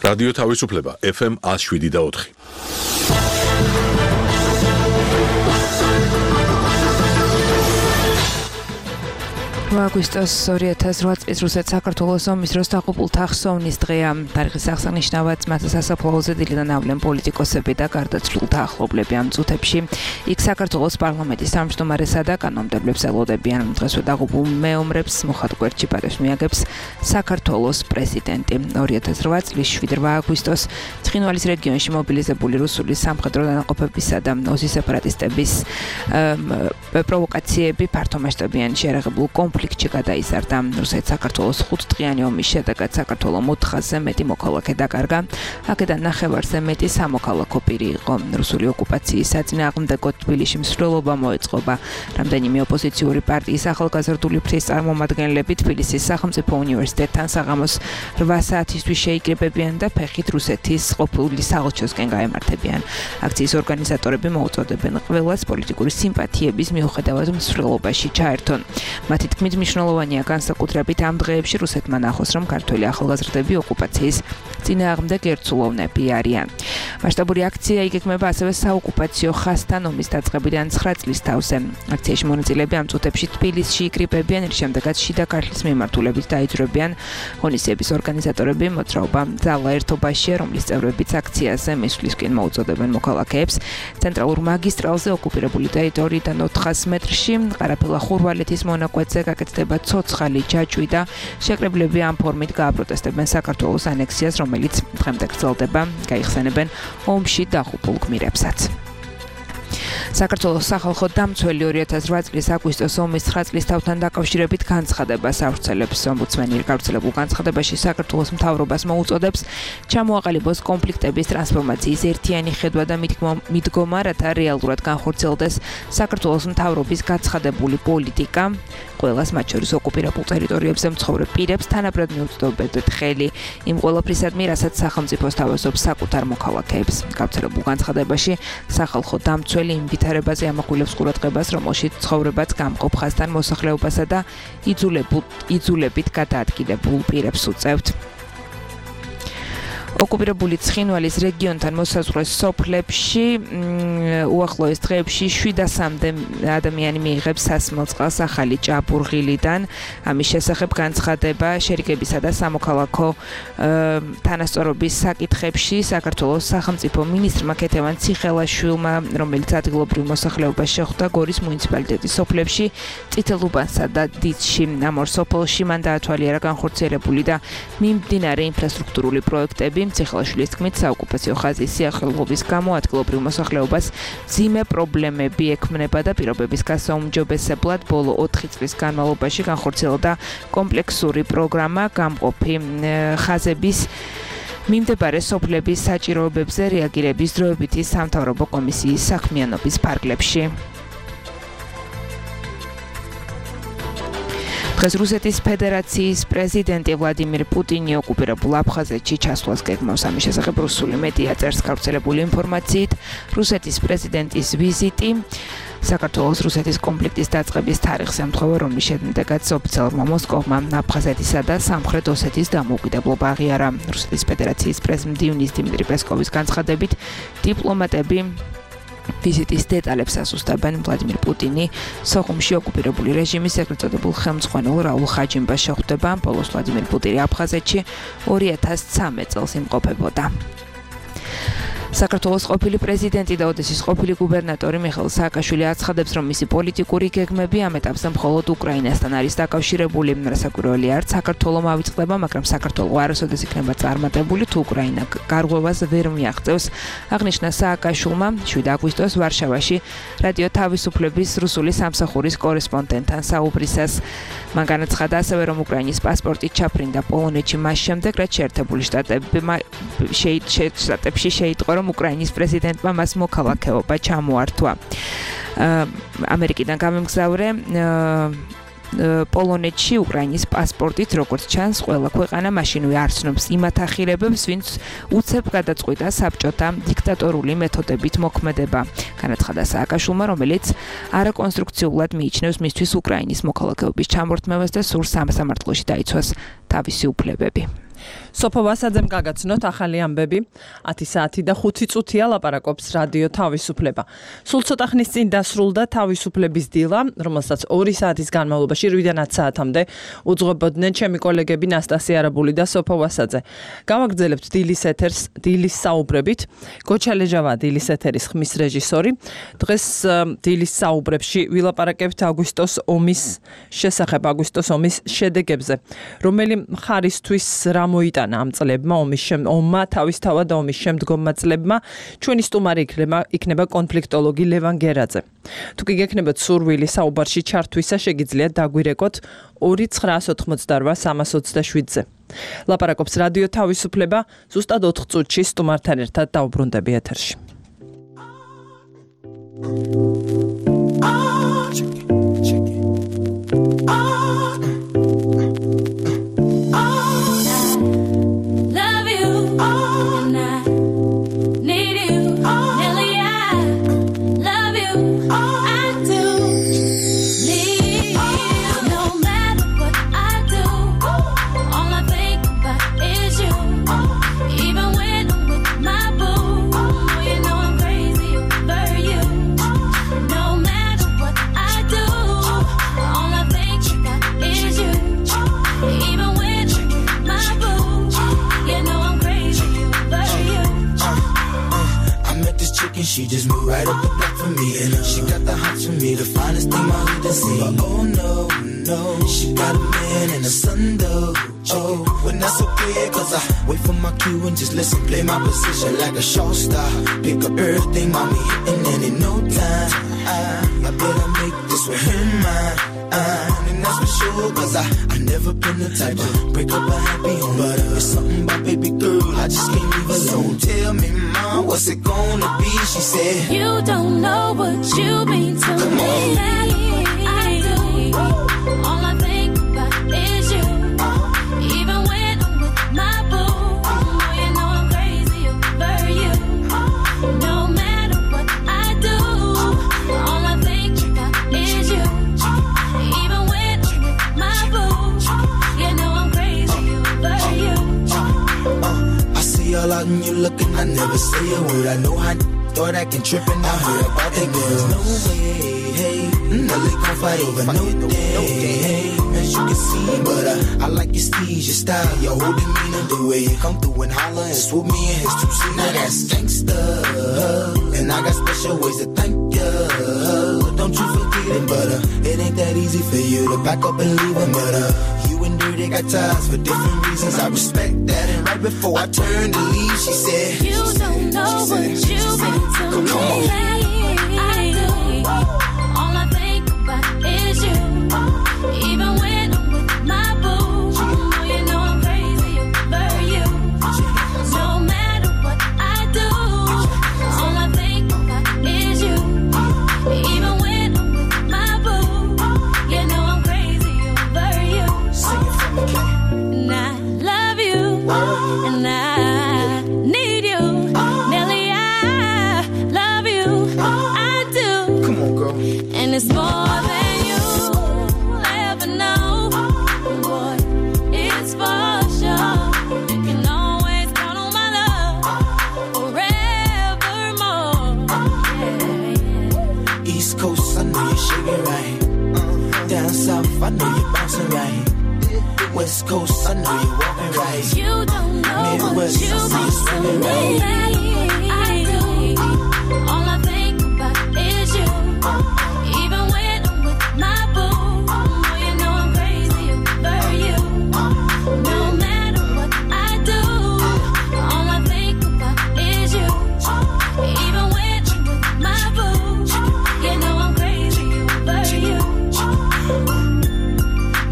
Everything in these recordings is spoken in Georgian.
რადიო თავისუფლება FM 107.4. აგვისტოს 2008 წლის რუსეთ საქართველოს ომის დროს დაღუპულთა ხსოვნის დღეა. თარიღის აღსანიშნავად მათი სასაფლაოზე დილიდან ავლენ პოლიტიკოსები და გარდაცვლილთა ახლობლები ამ წუთებში. იქ საქართველოს პარლამენტის თავმჯდომარესა და კანონმდებლებს ელოდებიან. დღესვე დაღუპულ მეომრებს მოხად გვერდში პატევს მიაგებს საქართველოს პრეზიდენტი. 2008 წლის 7 აგვისტოს ცხინვალის რეგიონში მობილიზებული რუსული სამხედრო დანაყოფებისა და ოზის სეპარატისტების პროვოკაციები ფართომასშტაბიან შეერაღებულ კონფლიქტში გადაიზარდა. რუსეთ-საქართველოს 5-დღიანი ომის შედეგად საქართველოს 400-ზე მეტი მოქალაქე დაკარგა. აქედან ნახევარზე მეტი სამოქალაქო პირი იყო. რუსული ოკუპაციის საწინააღმდეგო თბილისში მსვლელობა მოეწყობა. რამდენიმე ოპოზიციური პარტიის ახალგაზრდული ფრთის წარმომადგენლები თბილისის სახელმწიფო უნივერსიტეტთან საღამოს 8 საათისთვის შეიკრიბებიან და ფეხით რუსეთის ყოფილი საელჩოსკენ გაემართებიან. აქციის ორგანიზატორები მოუწოდებენ ყველას პოლიტიკური სიმპათიების მიუხედავად მსვლელობაში ჩაერთონ. მათი თქმით მნიშვნელოვანია განსაკუთრებით ამ დღეებში რუსეთმა ნახოს, რომ ქართველი ახალგაზრდები ოკუპაციის წინააღმდეგ ერთსულოვნები არიან. მასშტაბური აქცია იგეგმება ასევე საოკუპაციო ხაზთან ომის დაწყებიდან 9 წლის თავზე. აქციაში მონაწილეები ამ წუთებში თბილისში იკრიბებიან, რის შემდეგაც შიდა ქართლის მიმართულებით დაიძრებიან. ღონისძიების ორგანიზატორები მოძრაობა ძალა ერთობაშია, რომლის წევრებიც აქციაზე მისვლისკენ მოუწოდებენ მოქალაქეებს. ცენტრალურ მაგისტრალზე ოკუპირებული ტერიტორიიდან 400 მეტრში ყარაფილა ხურვალეთის მონაკვეთზე გაკეთდება ცოცხალი ჯაჭვი და შეკრებლები ამ ფორმით გააპროტესტებენ საქართველოს ანექსიას, რომელიც დღემდე გრძელდება, გაიხსენებენ ომში დაღუპულ გმირებსაც. საქართველოს სახალხო დამცველი 2008 წლის აგვისტოს ომის 9 წლის თავთან დაკავშირებით განცხადებას ავრცელებს. ომბუდსმენი გავრცელებულ განცხადებაში საქართველოს მთავრობას მოუწოდებს ჩამოაყალიბოს კონფლიქტების ტრანსფორმაციის ერთიანი ხედვა და მიდგომა, რათა რეალურად განხორციელდეს საქართველოს მთავრობის გაცხადებული პოლიტიკა. ყველას, მათ შორის ოკუპირებულ ტერიტორიებზე მცხოვრებ პირებს თანაბრად მიუწოდებთ ხელი იმ ყველაფრისადმი, რასაც სახელმწიფო სთავაზობს საკუთარ მოქალაქეებს. გავრცელებულ განცხადებაში სახალხო დამცველი იმ ვითარებაზე ამახვილებს ყურადღებას, რომელშიც ცხოვრებაც გამყოფ ხაზთან მოსახლეობასა და იძულებით გადაადგილებულ პირებს უწევთ. ოკუპირებული ცხინვალის რეგიონთან მოსაზღვრე სოფლებში უახლოეს დღეებში 700-მდე ადამიანი მიიღებს სასმელ წყალს ახალი ჭაბურღილიდან. ამის შესახებ განცხადება შერიგებისა და სამოქალაქო თანასწორობის საკითხებში საქართველოს სახელმწიფო მინისტრმა ქეთევან ციხელაშვილმა, რომელიც ადგილობრივ მოსახლეობას შეხვდა გორის მუნიციპალიტეტის სოფლებში, წითელუბანსა და დიცში. ამ ორ სოფელში მან დაათვალიერა განხორციელებული და მიმდინარე ინფრასტრუქტურული პროექტები. ციხელაშვილის თქმით, საოკუპაციო ხაზის სიახლოვების გამო ადგილობრივ მოსახლეობას მძიმე პრობლემები ექმნება და პირობების გასაუმჯობესებლად ბოლო 4 წლის განმავლობაში განხორციელდა კომპლექსური პროგრამა გამყოფი ხაზების მიმდებარე სოფლების საჭიროებებზე რეაგირების დროებითი სამთავრობო კომისიის საქმიანობის ფარგლებში. დღეს რუსეთის ფედერაციის პრეზიდენტი ვლადიმირ პუტინი ოკუპირებულ აფხაზეთში ჩასვლას გეგმავს. ამის შესახებ რუსული მედია წერს გავრცელებული ინფორმაციით, რუსეთის პრეზიდენტის ვიზიტი საქართველოს რუსეთის კონფლიქტის დაწყების თარიღს ემთხვევა, რომლის შედეგად ოფიციალურმა მოსკოვმა აფხაზეთისა და სამხრეთ ოსეთის დამოუკიდებლობა აღიარა. რუსეთის ფედერაციის პრეზიდენტის დიმიტრი პესკოვის განცხადებით, დიპლომატები ვიზიტის დეტალებს ასუსტებენ. ვლადიმირ პუტინი სოხუმში ოკუპირებული რეჟიმის ეგრეთ წოდებულ ხელმძღვანელ რაულ ხაჯიმბას შეხვდება. ბოლოს ვლადიმირ პუტინი აფხაზეთში 2013 წელს იმყოფებოდა. საქართველოს ყოფილი პრეზიდენტი და ოდესის ყოფილი გუბერნატორი მიხეილ სააკაშვილი აცხადებს, რომ მისი პოლიტიკური გეგმები ამ ეტაპზე მხოლოდ უკრაინასთან არის დაკავშირებული. რასაკვირველია, არც საქართველოს ავიწყდება, მაგრამ საქართველოს არასოდეს იქნება წარმატებული, თუ უკრაინა გარღვევას ვერ მიაღწევს. აღნიშნა სააკაშვილმა 7 აგვისტოს ვარშავაში რადიო თავისუფლების რუსული სამსახურის კორესპონდენტთან საუბრისას. მან განაცხადა ასევე, რომ უკრაინის პასპორტით ჩაფრინდა პოლონეთში მას შემდეგ, რაც შეერთებული შტატებში შეიტყო, რომ უკრაინის პრეზიდენტმა მას მოქალაქეობა ჩამოართვა. ამერიკიდან გამემგზავრე პოლონეთში უკრაინის პასპორტით, როგორც ჩანს, ყველა ქვეყანა მაშინვე არ ცნობს იმ ათახირებებს, ვინც უცებ გადაწყვიტა საბჭოთა დიქტატორული მეთოდებით მოქმედება. განაცხადა სააკაშვილმა, რომელიც არაკონსტრუქციულად მიიჩნევს მისთვის უკრაინის მოქალაქეობის ჩამორთმევას და სურს სამართლოში დაიცვას თავისი უფლებები. სოფო ვასაძემ გაგაცნოთ ახალი ამბები 10 საათი და 5 წუთია ლაპარაკობს რადიო თავისუფლება. სულ ცოტა ხნის წინ დასრულდა თავისუფლების დილა, რომელსაც 2 საათის განმავლობაში 8-დან 10 საათამდე უძღვებოდნენ ჩემი კოლეგები ნასტასია არაბული და სოფო ვასაძე. გავაგრძელებთ დილის ეთერს დილის საუბრებით. გოჩალეჟავა დილის ეთერის ხმის რეჟისორი. დღეს დილის საუბრებში ვილაპარაკებთ აგვისტოს ომის შესახებ, აგვისტოს ომის შედეგებზე, რომელი მხარისთვის რა მოიტანა ამ წლებმა ომმა თავისთავად ომის შემდგომმა წლებმა. ჩვენი სტუმარი იქნება კონფლიქტოლოგი ლევან გერაძე. თუ კი გექნებათ სურვილი საუბარში ჩართვისა, შეგიძლიათ დაგვირეკოთ 2-988-327-ზე. ლაპარაკობს რადიო თავისუფლება, ზუსტად 4 წუთში სტუმართან ერთად დავუბრუნდები ეთერში. She just moved right up the block for me, and she got the hots for me, the finest thing my hood has seen. But oh no, no, she got a man and a son though. Oh, when that's okay, cause I wait for my cue and just listen, play my position like a show star. Pick up everything, mommy, hitting, and in no time, I better make this with him mine. And that's for sure, cause I never been the type to break up a happy home. But it's something about baby girl, I just can't leave alone. Tell me, mom, what's it gonna be? She said, you don't know what you mean to me. I do. All I think about is you. Even when I'm with my boo, you know I'm crazy over you. No matter what I do, all I think about is you. Even when I'm with my boo, you know I'm crazy over you. I see all out and you looking, I never say a word. I know how thought I can trip and I heard about that girl. No way, hey, no they gon' fight over no day, hey, as you can see. But I like your steez, your style, your whole demeanor, the way you come through and holler and swoop me in his 2 seat. Now that's gangsta, and I got special ways to thank ya. Don't you forget it, but it ain't that easy for you to back up and leave him. But you and Dirty got ties for different reasons. I respect that. And right before I turned to leave, she said, you don't know what you mean to me. I do. All I think about is you. Even when I'm with my boo, you know I'm crazy over you. No matter what I do, all I think about is you. Even when I'm with my boo, you know I'm crazy over you. Sing it for me, Kay. And I love you, and I need you, Nelly. I love you, I do. Come on, girl. And it's more than you ever know. Boy, it's for sure. You can always count on my love forevermore. Yeah. East Coast, I know you're shaking right. Down south, I know you're bouncing right. West Coast, I know you're walking right. You don't know Midwest, what you I see you mean to swimming me. I do. All I think about is you. Even when I'm with my boo, you know I'm crazy over you. No matter what I do, all I think about is you. Even when I'm with my boo, you know I'm crazy over you.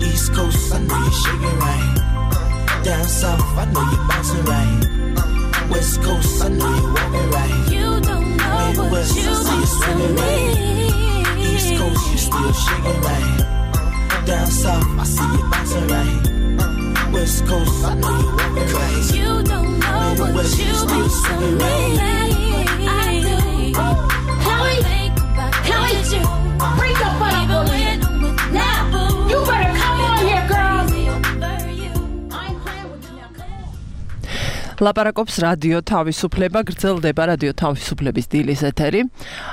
East Coast, I know you're shaking right. Down south, I know you're bouncing right. West Coast, I know you're walking right. You don't know Midwest, what you I see you mean swimming to right. East me. Coast, you still shaking right. Down south, I see you bouncing right. West Coast, I know you're walking right. You don't know what Midwest, you you still mean to swimming me. right. I do. Chloe, Chloe, bring your butt up on here. Now, you better come on here, girl. I'm playing with you now. ლაპარაკობს რადიო თავისუფლება, გრძელდება რადიო თავისუფლების დილის ეთერი.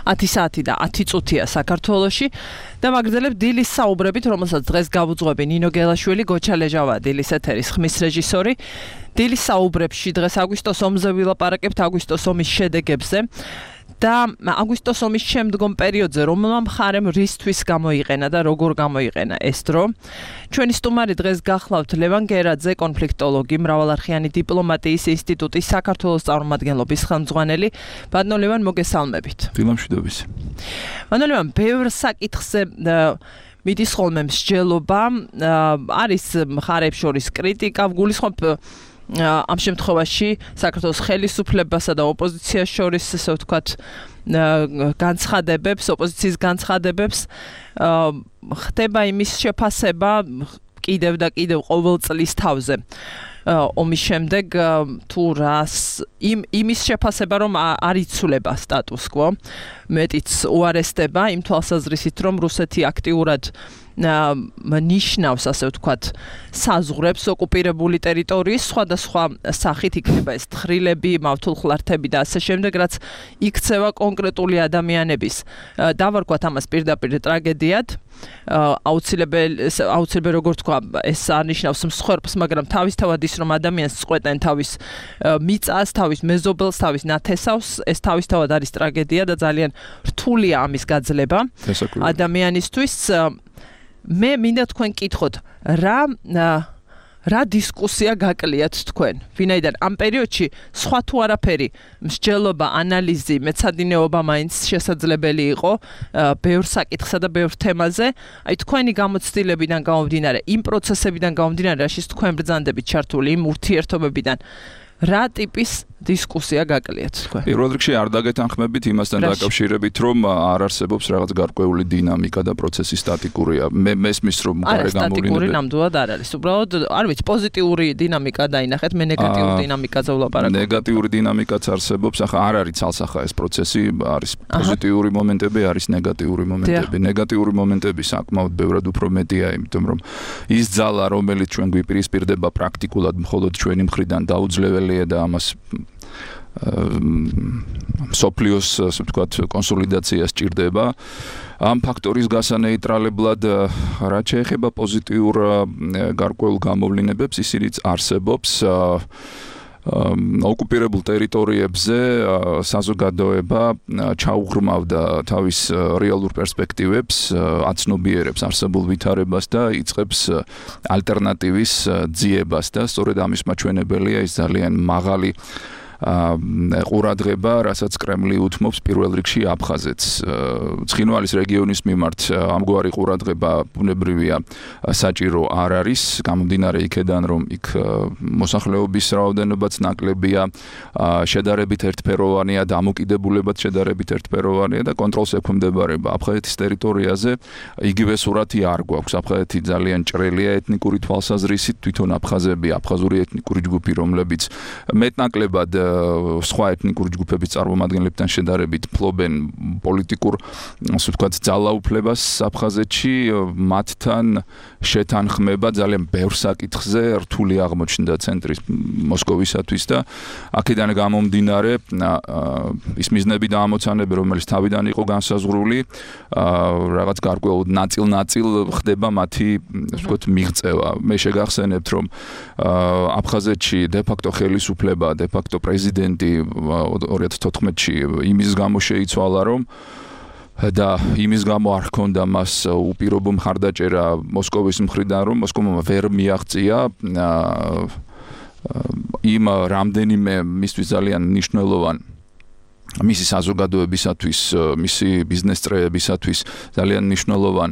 10 საათი და 10 წუთია საქართველოში და მაგრძელებ დილის საუბრებით, რომელსაც დღეს გავუძღვები ნინო გელაშვილი, გოჩა ლეჟავა დილის ეთერის ხმის რეჟისორი. დილის საუბრებში დღეს აგვისტოს ომზე ვილაპარაკებთ, აგვისტოს ომის შედეგებზე. და აგვისტოს ომის შემდგომ პერიოდზე რომელმა მხარემ რისთვის გამოიყენა და როგორ გამოიყენა ეს დრო. ჩვენი სტუმარი დღეს გახლავთ ლევან გერაძე, კონფლიქტოლოგი, მრავალარხიანი დიპლომატიის ინსტიტუტის საქართველოს წარმომადგენლობის ხელმძღვანელი. ბატონო ლევან, მოგესალმებით. დილამშვიდობის. ბატონო ლევან, ბევრ საკითხზე მიდის ხოლმე მსჯელობა, არის მხარებს შორის კრიტიკა, გულისხმობ ამ შემთხვევაში საქართველოს ხელისუფლებასა და ოპოზიციას შორის, ესე ვთქვათ, განცხადებებს, ოპოზიციის განცხადებებს, ხდება იმის შეფასება კიდევ და კიდევ ყოველ წლის თავზე. ომის შემდეგ თუ რას იმის შეფასება რომ არ იცვლება სტატუს კვო, მეტიც უარესდება იმ თვალსაზრისით რომ რუსეთი აქტიურად ნიშნავს, ასე ვთქვათ, საზღვრებს ოკუპირებული ტერიტორიის სხვადასხვა სახით, იქნება ეს თხრილები, მავთულხლართები და ასე შემდეგ, რაც იქცევა კონკრეტული ადამიანების. დავარქვათ ამას პირდაპირ ტრაგედიად. აუცილებელი როგორ თქვა, ეს არნიშნავს მსხვერპლს, მაგრამ თავისთავად ის რომ ადამიანს წყვეტენ თავის მიწას, თავის მეზობელს, თავის ნათესავს, ეს თავისთავად არის ტრაგედია და ძალიან რთულია ამის გაძლება ადამიანისთვის. მე მინდა თქვენ კითხოთ, რა დისკუსია გაკლიათ თქვენ? ვინაიდან ამ პერიოდში სხვა თუ არაფერი, მსჯელობა, ანალიზი, მეცადინეობა მაინც შესაძლებელი იყო ბევრ საკითხსა და ბევრ თემაზე. აი თქვენი გამოცდილებიდან გამომდინარე, იმ პროცესებიდან გამომდინარე, რაშიც თქვენ ბრძანდებით ჩართული, იმ ურთიერთობებიდან რა ტიპის დისკუსია გაკლიათ თქვენ? პირველ რიგში არ დაგეთანხმებით იმასთან დაკავშირებით, რომ არ არსებობს რაღაც გარკვეული დინამიკა და პროცესი სტატიკურია. მე მესმის რომ გარე გამოვლინებები. სტატიკური ნამდვილად არ არის. უბრალოდ არ ვიცი, პოზიტიური დინამიკა დაინახეთ, მე ნეგატიური დინამიკაზე ვლაპარაკობ. ნეგატიური დინამიკაც არსებობს, ახლა არ არის ცალსახა ეს პროცესი, არის პოზიტიური მომენტები, არის ნეგატიური მომენტები. ნეგატიური მომენტები საკმაოდ ბევრად უფრო მეტია, იმიტომ რომ ის ძალა, რომელიც ჩვენ გვიპირისპირდება პრაქტიკულად მხოლოდ ჩვენი მხრიდან დაუძლებელია და ამას სოფლიოს, ასე ვთქვათ, კონსოლიდაცია სჭირდება. ამ ფაქტორის გასანეიტრალებლად, რაც შეეხება პოზიტიურ გარკვეულ გამოვლინებებს, ისინიც არსებობს. ოკუპირებულ ტერიტორიებზე საზოგადოება ჩაუღრმავდა თავის რეალურ პერსპექტივებს, აცნობიერებს არსებულ ვითარებას და იწყებს ალტერნატივის ძიებას და სწორედ ამის მაჩვენებელია ის ძალიან მაღალი ყურადღება, რასაც კრემლი უთმობს პირველ რიგში აფხაზეთს. ცხინვალის რეგიონის მიმართ ამგვარი ყურადღება ბუნებრივია საჭირო არ არის, გამომდინარე იქედან, რომ იქ მოსახლეობის რაოდენობაც ნაკლებია, შედარებით ერთფეროვანია, დამოკიდებულებაც შედარებით ერთფეროვანია და კონტროლს ექვემდებარება. აფხაზეთის ტერიტორიაზე იგივე სურათი არ გვაქვს. აფხაზეთი ძალიან ჭრელია ეთნიკური თვალსაზრისით, თვითონ აფხაზები, აფხაზური ეთნიკური ჯგუფი, რომლებიც მეტნაკლებად სხვა ეთნიკური ჯგუფების წარმომადგენლებთან შედარებით ფლობენ პოლიტიკურ, ასე ვთქვათ, ძალაუფლებას აფხაზეთში, მათთან შეთანხმება ძალიან ბევრ საკითხზე რთული აღმოჩნდა ცენტრის მოსკოვისათვის და აქედან გამომდინარე ის მიზნები და ამოცანები, რომელიც თავიდან იყო განსაზღვრული, რაღაც გარკვეულ ნაწილ-ნაწილ ხდება მათი, ასე ვთქვათ, მიღწევა. მე შეგახსენებთ, რომ აფხაზეთში დე-ფაქტო ხელისუფლება, დე-ფაქტო პრეზიდენტი 2014-ში იმის გამო შეიცვალა, რომ და იმის გამო არ ჰქონდა მას უპირობო მხარდაჭერა მოსკოვის მხრიდან, რომ მოსკოვმა ვერ მიაღწია იმ რამდენიმე მისთვის ძალიან მნიშვნელოვან მისი საზოგადოებისათვის, მისი ბიზნეს წრეებისათვის ძალიან მნიშვნელოვან,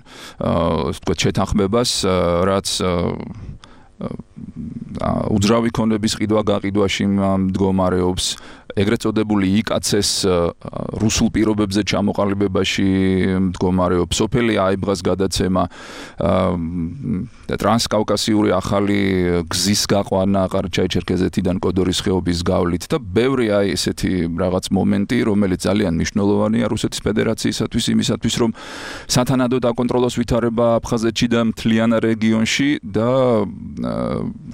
ვთქვათ, შეთანხმებას, რაც უძრავი ქონების ყიდვა-გაყიდვაში მდგომარეობს, ეგრეთ წოდებული იკაცეს რუსულ პირობებზე ჩამოყალიბებაში მდგომარეობს, სოფელი აიბღას გადაცემა, ტრანსკავკასიური ახალი გზის გაყვანა ყარაჩაი-ჩერქეზეთიდან კოდორის ხეობის გავლით და ბევრი აი ესეთი რაღაც მომენტი, რომელიც ძალიან მნიშვნელოვანია რუსეთის ფედერაციისათვის, იმისათვის, რომ სათანადოდ აკონტროლოს ვითარება აფხაზეთში და მთლიან რეგიონში და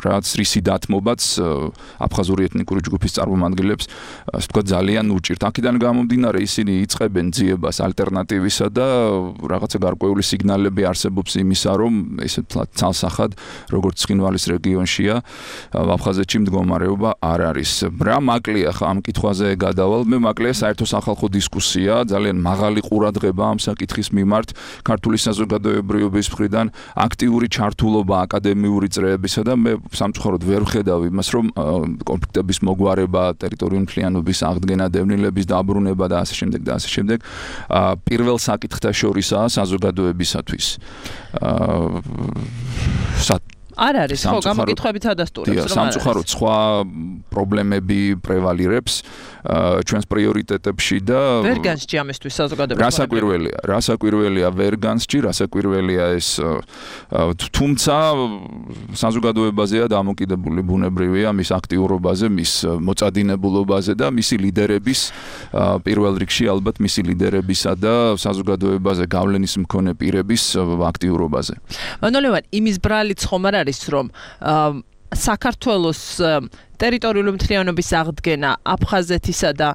რაც რისი დათმობაც აფხაზური ეთნიკური ჯგუფის წარმომადგენლებს ასე ვთქვათ ძალიან უჭირთ. აქედან გამომდინარე ისინი იწყებენ ძიებას ალტერნატივისა და რაღაცა გარკვეული სიგნალები არსებობს იმისა, რომ ესე ცალსახად როგორც ცხინვალის რეგიონშია აფხაზეთში მდგომარეობა არ არის. რა მაკლია ხა ამ კითხვაზე გადავალ. მე მაკლია საერთო სახალხო დისკუსია, ძალიან მაღალი ყურადღება ამ საკითხის მიმართ ქართული საზოგადოებრივობის მხრიდან, აქტიური ჩართულობა აკადემიური წრეებისა და მე სამწუხაროდ ვერ ვხედავ იმას, რომ კონფლიქტების მოგვარება, ტერიტორიული მთლიანობის აღდგენა, დევნილების დაბრუნება და ასე შემდეგ და ასე შემდეგ პირველ საკითხთა შორისაა საზოგადოებისათვის. არ არის, ხო, გამოკითხვებით ადასტურებს, რომ სამწუხაროდ სხვა პრობლემები პრევალირებს ჩვენს პრიორიტეტებში და ვერ განსჭი ამისთვის საზოგადოებას. რასაკვირველია ვერ განსჭი, რასაკვირველია ეს თუმცა საზოგადოებაზეა დამოკიდებული ბუნებრივია მის აქტიურობაზე, მის მოწადინებულობაზე და მისი ლიდერების პირველ რიგში ალბათ მისი ლიდერებისა და საზოგადოებაზე გავლენის მქონე პირების აქტიურობაზე. მანოლევან იმის ბრალიც ხომ არ არის რომ საქართველოს ტერიტორიული მთლიანობის აღდგენა აფხაზეთისა და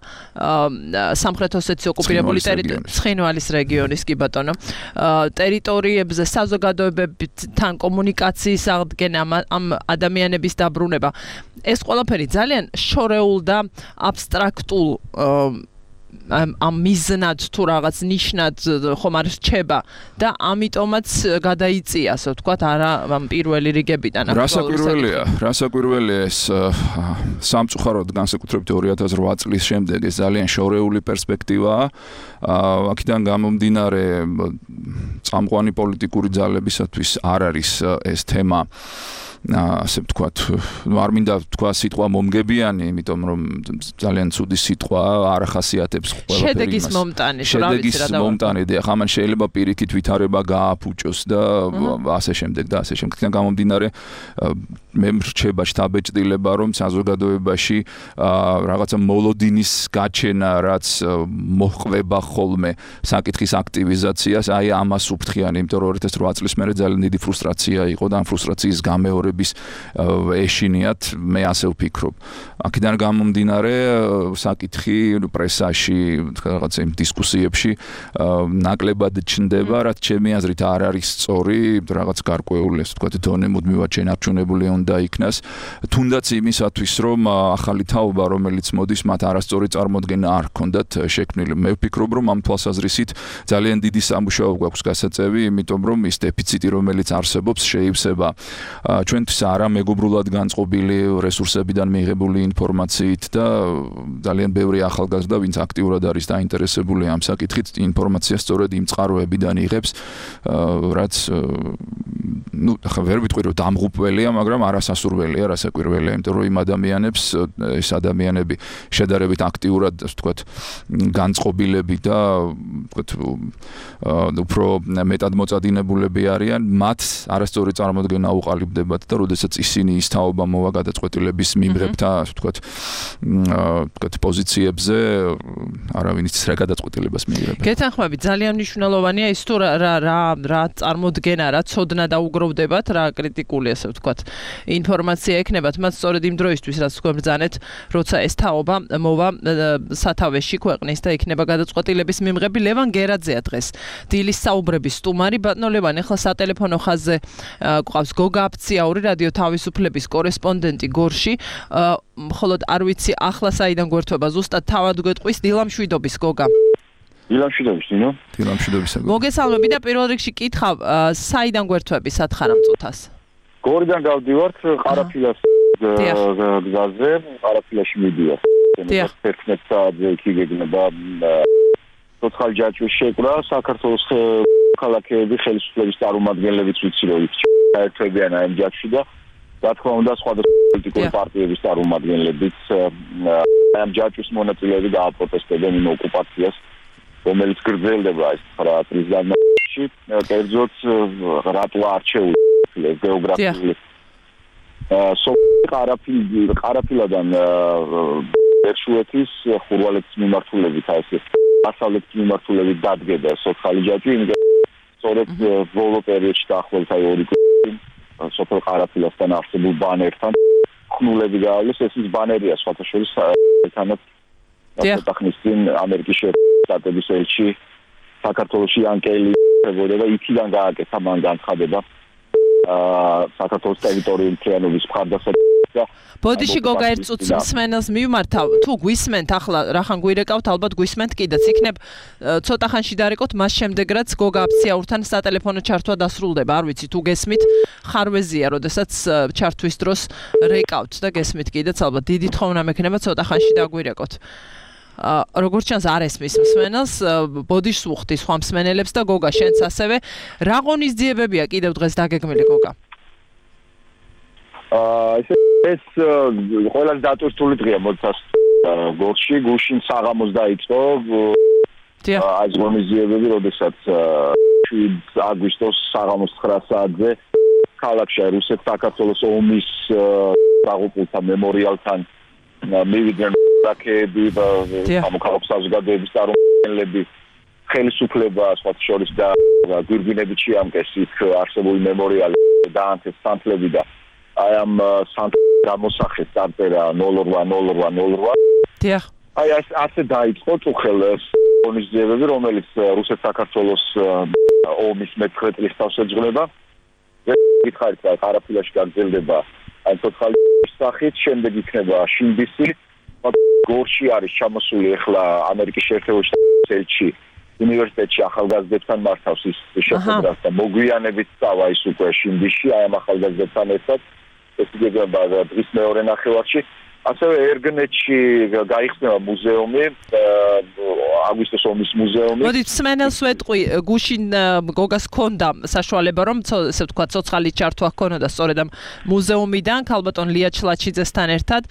სამხრეთ ოსეთის ოკუპირებული ცხინვალის რეგიონის კი ბატონო ტერიტორიებზე საზოგადოებებთან კომუნიკაციის აღდგენა ამ ადამიანების დაბრუნება ეს ყველაფერი ძალიან შორეულ და აბსტრაქტულ ამ მიზნად თუ რაღაც ნიშნად ხომ არ რჩება და ამიტომაც გადაიწია ასე ვთქვათ არა ამ პირველი რიგებიდან რასაკვირველია ეს სამწუხაროდ განსაკუთრებით 2008 წლის შემდეგ ეს ძალიან შორეული პერსპექტივაა აქედან გამომდინარე წამყვანი პოლიტიკური ძალებისათვის არ არის ეს თემა ასე ვთქვათ, არ მინდა თქვა სიტყვა მომგებიანი, იმიტომ რომ ძალიან ცუდი სიტყვაა, არ ახასიათებს ყველაფერი იმას. შედეგის მომტანი და ხამან შეიძლება პირიქით ვითარება გააფუჭოს და ასე შემდეგ და ასე შემდეგ. გამომდინარე მე მრჩება შთაბეჭდილება, რომ საზოგადოებაში რაღაცა მოლოდინის გაჩენა, რაც მოჰყვება ხოლმე საკითხის აქტივიზაციას, აი ამას უფრთხიან, იმიტომ რომ 2008 წლის მერე ძალიან დიდი ფრუსტრაცია იყო და ამ ფრუსტრაციის გამეორება ეშინიათ მე ასე ვფიქრობ. აქედან გამომდინარე საკითხი პრესაში რაღაცა იმ დისკუსიებში ნაკლებად ჩნდება, რაც ჩემი აზრით არ არის სწორი, რაღაც გარკვეული ასე ვთქვათ დონე მუდმივად შენარჩუნებული უნდა იქნას. თუნდაც იმისათვის რომ ახალი თაობა რომელიც მოდის მათ არასწორი წარმოდგენა არ ჰქონდათ შექმნილი. მე ვფიქრობ რომ ამ თვალსაზრისით ძალიან დიდი სამუშაო გვაქვს გასაწევი, იმიტომ რომ ის დეფიციტი რომელიც არსებობს შეივსება ჩვენთვის არა მეგობრულად განწყობილი რესურსებიდან მიიღებული ინფორმაციით და ძალიან ბევრი ახალგაზრდა ვინც აქტიურად არის დაინტერესებული ამ საკითხით ინფორმაციას სწორედ იმ წყაროებიდან იღებს რაც ну ახლა ვერ ვიტყვი რომ დამღუპველია მაგრამ არასასურველია რასაკვირველია იმიტომ რომ იმ ადამიანებს ეს ადამიანები შედარებით აქტიურად ასე ვთქვათ განწყობილები და ვთქვათ უფრო მეტად მოწადინებულები არიან მათ არასწორი წარმოდგენა უყალიბდებათ და როდესაც ისინი ის თაობა მოვა გადაწყვეტილების მიმღებთა ასე ვთქვათ პოზიციებზე არავინ იცის რა გადაწყვეტილებას მიიღებენ. გეთანხმები ძალიან მნიშვნელოვანია ის თუ რა წარმოდგენა რა ცოდნა დაუგროვდებათ რა კრიტიკული ასე ვთქვათ ინფორმაცია ექნებათ მათ სწორედ იმ დროისთვის რაც თქვენ ბრძანეთ როცა ეს თაობა მოვა სათავეში ქვეყნის და იქნება გადაწყვეტილების მიმღები ლევან გერაძეა დღეს დილის საუბრების სტუმარი ბატონო ლევან ახლა სატელეფონო ხაზზე გვყავს გოგა აფციაური რადიო თავისუფლების კორესპონდენტი გორში მხოლოდ არ ვიცი ახლა საიდან გვერდება ზუსტად თავად გვეტყვის დილამშვიდობის გოგა დილამშვიდობის ნინო დილამშვიდობისა მოგესალმები და პირველ რიგში კითხავ საიდან გვერდები სათხარ მწუთას გორიდან გავდივართ ყარაფილას გზაზე ყარაფილაში მიდივარ 11 საათზე იქ გეგმება ცოცხალი ჯაჭვის შეკრა საქართველოს ქალაქები ხელისუფლების წარმომადგენლებიც ვიცი რომ ერთებიან ამ ჯაჭვში და რა თქმა უნდა სხვადასხვა პოლიტიკური პარტიების წარმომადგენლებიც ამ ჯაჭვის მონაწილეები დააპროტესტებენ იმ ოკუპაციას რომელიც გრძელდება ეს 9 წლის განმავლობაში კერძოდ რატო არჩეული გეოგრაფიული ყარაფილადან ერშუეთის ხურვალეთის მიმართულებით ასე დასავლეთის მიმართულებით დადგება სოციალური ჯაჭვი სწორედ ბოლო პერიოდში დაახლოებით 2 წელი სოფელ ყარაფილასთან არსებულ ბანერთან ხნულები გაავლეს, ეს ის ბანერია სხვათა შორის თანაც ცოტახნის წინ ამერიკის შეერთებული შტატების ელჩი საქართველოში ანკელი ხებოდა და იქიდან გააკეთა მან განცხადება საქართველოს ტერიტორიული მთლიანობის მხარდასაჭერად. ბოდიში გოგა ერთ წუთს მსმენელს მივმართავ, თუ გვისმენთ ახლა რახან გვირეკავთ, ალბათ გვისმენთ კიდეც. იქნებ ცოტა ხანში დარეკოთ, მას შემდეგ რაც გოგა აფციაურთან სატელეფონო ჩართვა დასრულდება. არ ვიცი თუ გესმით, ხარვეზია, როდესაც ჩართვის დროს რეკავთ და გესმით კიდეც, ალბათ დიდი თხოვნა მექნება ცოტა ხანში დაგვირეკოთ. როგორც ჩანს არ ესმის მსმენელს, ბოდიშს უხდი სხვა მსმენელებს და გოგა შენც ასევე. რა ღონისძიებებია კიდევ დღეს დაგეგმილი გოგა? ეს ყველაზე დატვირთული დღეა მოცას გორში, გუშინ საღამოს დაიწყო ეს ღონისძიებები, როდესაც 7 აგვისტოს საღამოს 9 საათზე ქალაქში რუსეთ-საქართველოს ომის დაღუპულთა მემორიალთან მივიდნენ რაკეტები და სამოქალაქო საზოგადოების წარმომადგენლები, ხელისუფლება, სხვა შორის და გვირგვინებით შეამკეს იქ არსებული მემორიალი და ანთეს სანთლები და აი ამ გამოსახეს წარწერა 080808. დიახ. აი ასე დაიწყო წუხელს ღონისძიებები, რომელიც რუსეთ-საქართველოს ომის მე-9 წლის თავსეძღვრება. გითხარით რა ყარაფილაში გაგრძელდება აი ცოცხალის სახით, შემდეგ იქნება შინდისი. გორში არის ჩამოსული ახლა ამერიკის შეერთებული შტატების ელჩი უნივერსიტეტში ახალგაზრდებთან მართავს ის შეხვედრას და მოგვიანებით წავა ის უკვე შინდისში აი ამ ახალგაზრდებთან ერთად. ეს იგეგმება დღის მეორე ნახევარში. ასევე ერგნეთში გაიხსნება მუზეუმი, აგვისტოს ომის მუზეუმი. მოდით მსმენელს ვეტყვი, გუშინ გოგას ჰქონდა საშუალება რომ ესე ვთქვა ცოცხალი ჩართვა ჰქონოდა სწორედ ამ მუზეუმიდან, ქალბატონ ლია ჩლაჩიძესთან ერთად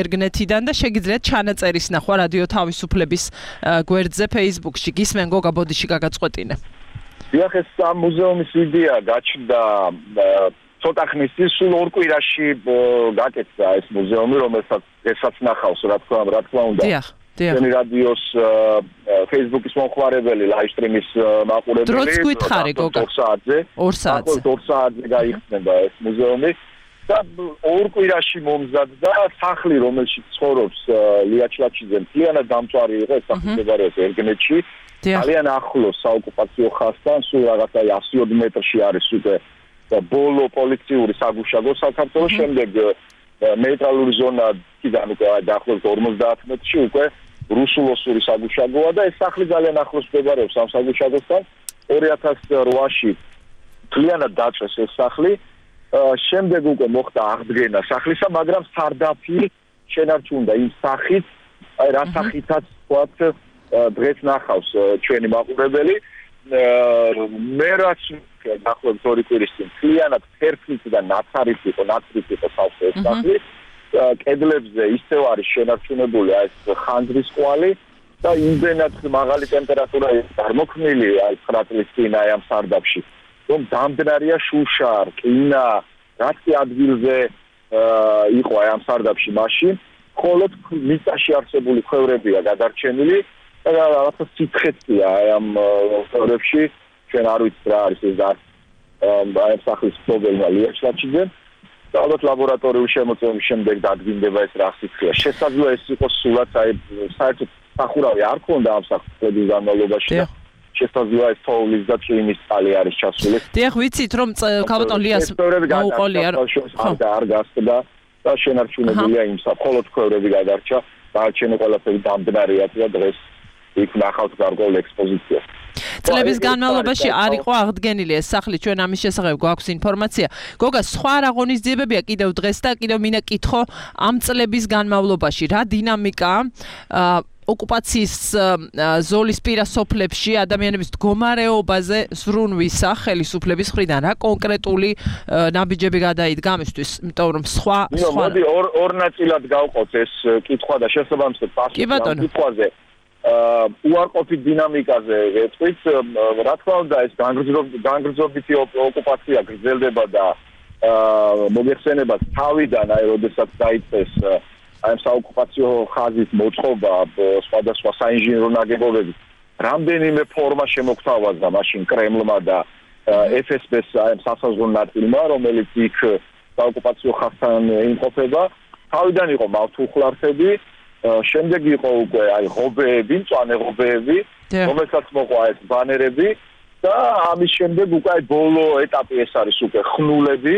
ერგნეთიდან და შეგიძლიათ ჩანაწერის ნახვა რადიო თავისუფლების გვერდზე Facebook-ში. გისმენ გოგა, ბოდიში გაგაწყვეტინე. დიახ, ეს ამ მუზეუმის იდეა გაჩნდა ცოტა ხნის წინ, სულ 2 კვირაში გაკეთდა ეს მუზეუმი, რომელსაც ნახავს რა თქმა უნდა. დიახ. ჩვენი რადიოს Facebook-ის მომხმარებელი, ლაივსტრიმის მაყურებელი. დროც გითხარი გოგა. 2 საათზე. 2 საათზე. 2 საათზე გაიხსნება ეს მუზეუმი და 2 კვირაში მომზადდა სახლი, რომელშიც ცხოვრობს ლია ჩლაჩიძე, მთლიანად დამწვარი იყო, ეს სახლი მდებარეობს ერგნეთში. ძალიან ახლოს საოკუპაციო ხაზთან, სულ რაღაცა 100 მეტრში არის უკვე და ბოლო პოლიციური საგუშაგო საქართველოს, შემდეგ ნეიტრალური ზონა კიდან უკვე დაახლოებით 50 მეტრში უკვე რუსულოსური საგუშაგოა და ეს სახლი ძალიან ახლოს მდებარეობს ამ საგუშაგოსთან. 2008-ში მთლიანად დაწვეს ეს სახლი, შემდეგ უკვე მოხდა აღდგენა სახლისა, მაგრამ სარდაფი შენარჩუნდა იმ სახით, აი რა სახითაც ვთქვათ დღეს ნახავს ჩვენი მაყურებელი. მე რაც დაახლოებით 2 კვირის წინ მთლიანად ფერფლით და ნაცრით იყო სახლი ეს სახლი. კედლებზე ისევ არის შენარჩუნებული აი ეს ხანძრის კვალი და იმდენად მაღალი ტემპერატურა წარმოქმნილი აი 9 წლის წინ აი ამ სარდაფში, რომ დამდნარია შუშა, რკინა, რაც კი ადგილზე იყო აი ამ სარდაფში მაშინ, მხოლოდ მიწაში არსებული ქვევრებია გადარჩენილი და რაღაცა სითხეცია აი ამ ქვევრებში. ჩვენ არ ვიცით რა არის ეს და აი ამ სახლის პრობლემა ლია ჩლაჩიძე. და ალბათ ლაბორატორიული შემოწმების შემდეგ დადგინდება ეს რა სითხეა. შესაძლოა ეს იყოს სულაც აი საერთოდ სახურავი არ ქონდა ამ სახლების განმავლობაში და შესაძლოა ეს თოვლის და წვიმის წყალი არის ჩასული. დიახ, ვიცით რომ ქალბატონ ליას მოუყოლია არ გასწდა და შენარჩუნებულია იმ მხოლოდ ქვევრები გადარჩა. დარჩენილი ყველაფერი დამდნარია და დღეს იქ ნახავთ გარკვეულ ექსპოზიციას. წლების განმავლობაში არ იყო აღდგენილი ეს სახლი, ჩვენ ამის შესახებ გვაქვს ინფორმაცია. გოგა, სხვა რა ღონისძიებებია კიდევ დღეს და კიდევ მინდა კითხო ამ წლების განმავლობაში რა დინამიკაა ოკუპაციის ზოლის პირა სოფლებში ადამიანების მდგომარეობაზე ზრუნვისა ხელისუფლების მხრიდან, რა კონკრეტული ნაბიჯები გადაიდგა ამისთვის, იმიტომ რომ სხვა მოდი ორ ნაწილად გავყოთ ეს კითხვა და შესაბამისად პასუხი ამ კითხვაზე. უარყოფით დინამიკაზე ვეთქვით, რა თქმა უნდა ეს განგრძობითი ოკუპაცია გრძელდება და მოიხსენებათ თავიდან, აი როდესაც დაიწყეს აი საოკუპაციო ხაზის მოწყობა სხვადასხვა საინჟინრო ნაგებობებით, რამდენიმე ფორმა შემოგთავაზა მაშინ კრემლმა და FSB-ს სასაზღვრო ნაწილმა, რომელიც იქ საოკუპაციო ხაზთან იმყოფება. თავიდან იყო მავთულხლარხები, შემდეგ იყო უკვე ღობეები, მწვანე ღობეები, რომელსაც მოყვა ეს ბანერები და ამის შემდეგ უკვე ბოლო ეტაპი ეს არის უკვე ხნულები,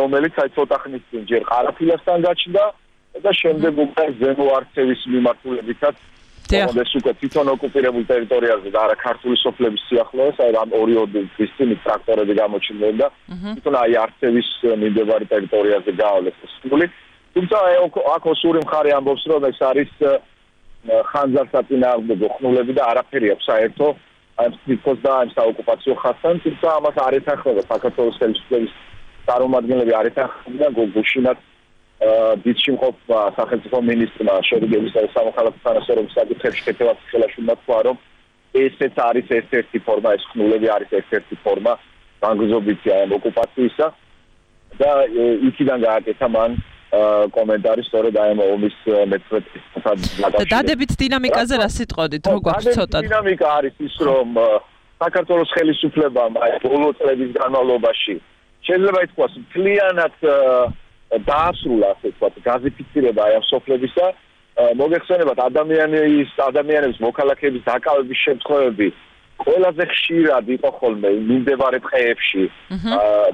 რომელიც ცოტა ხნის წინ ჯერ ყარაფილასთან გაჩნდა და შემდეგ უკვე ზემო არცევის მიმართულებითაც ეს უკვე თვითონ ოკუპირებულ ტერიტორიაზე და არა ქართული სოფლების სიახლოვეს, ამ 2 დღის წინ ტრაქტორები გამოჩნდნენ და თვითონ არცევის მიმდებარე ტერიტორიაზე გაავლეს ხნული. თუმცა აქ ოსური მხარე ამბობს, რომ ეს არის ხანძარსაწინააღმდეგო ხნულები და არაფერი აქვს საერთო ამ სტრიქოს და ამ საოკუპაციო ხაზთან, თუმცა ამას არ ეთანხმება საქართველოს ხელისუფლების წარმომადგენლები არ ეთანხმებიან გუშინაც დიდში მყოფმა სახელმწიფო მინისტრმა შერიგებისა და სამოქალაქო თანასწორობის საკითხებში ქეთევას ხელაშვილმა თქვა, რომ ესეც არის ერთ-ერთი ფორმა, ეს ხნულები არის ერთ-ერთი ფორმა განგრძობითი ამ ოკუპაციისა და იქიდან გააკეთა მან კომენტარი სწორედ აი ამ ომის მეცხრე დადებით დინამიკაზე რა სიტყოდით, რო გვაქვს ცოტა. დინამიკა არის ის, რომ საქართველოს ხელისუფლებამ აი ბოლო წლების განმავლობაში შეიძლება ითქვას მთლიანად დაასრულა, ასე ვთქვათ, გაზიფიცირება აი ამ სოფლებისა. მოგეხსენებათ ადამიანების მოქალაქეების დაკავების შემთხვევები ყველაზე ხშირად იყო ხოლმე მიმდებარე ტყეებში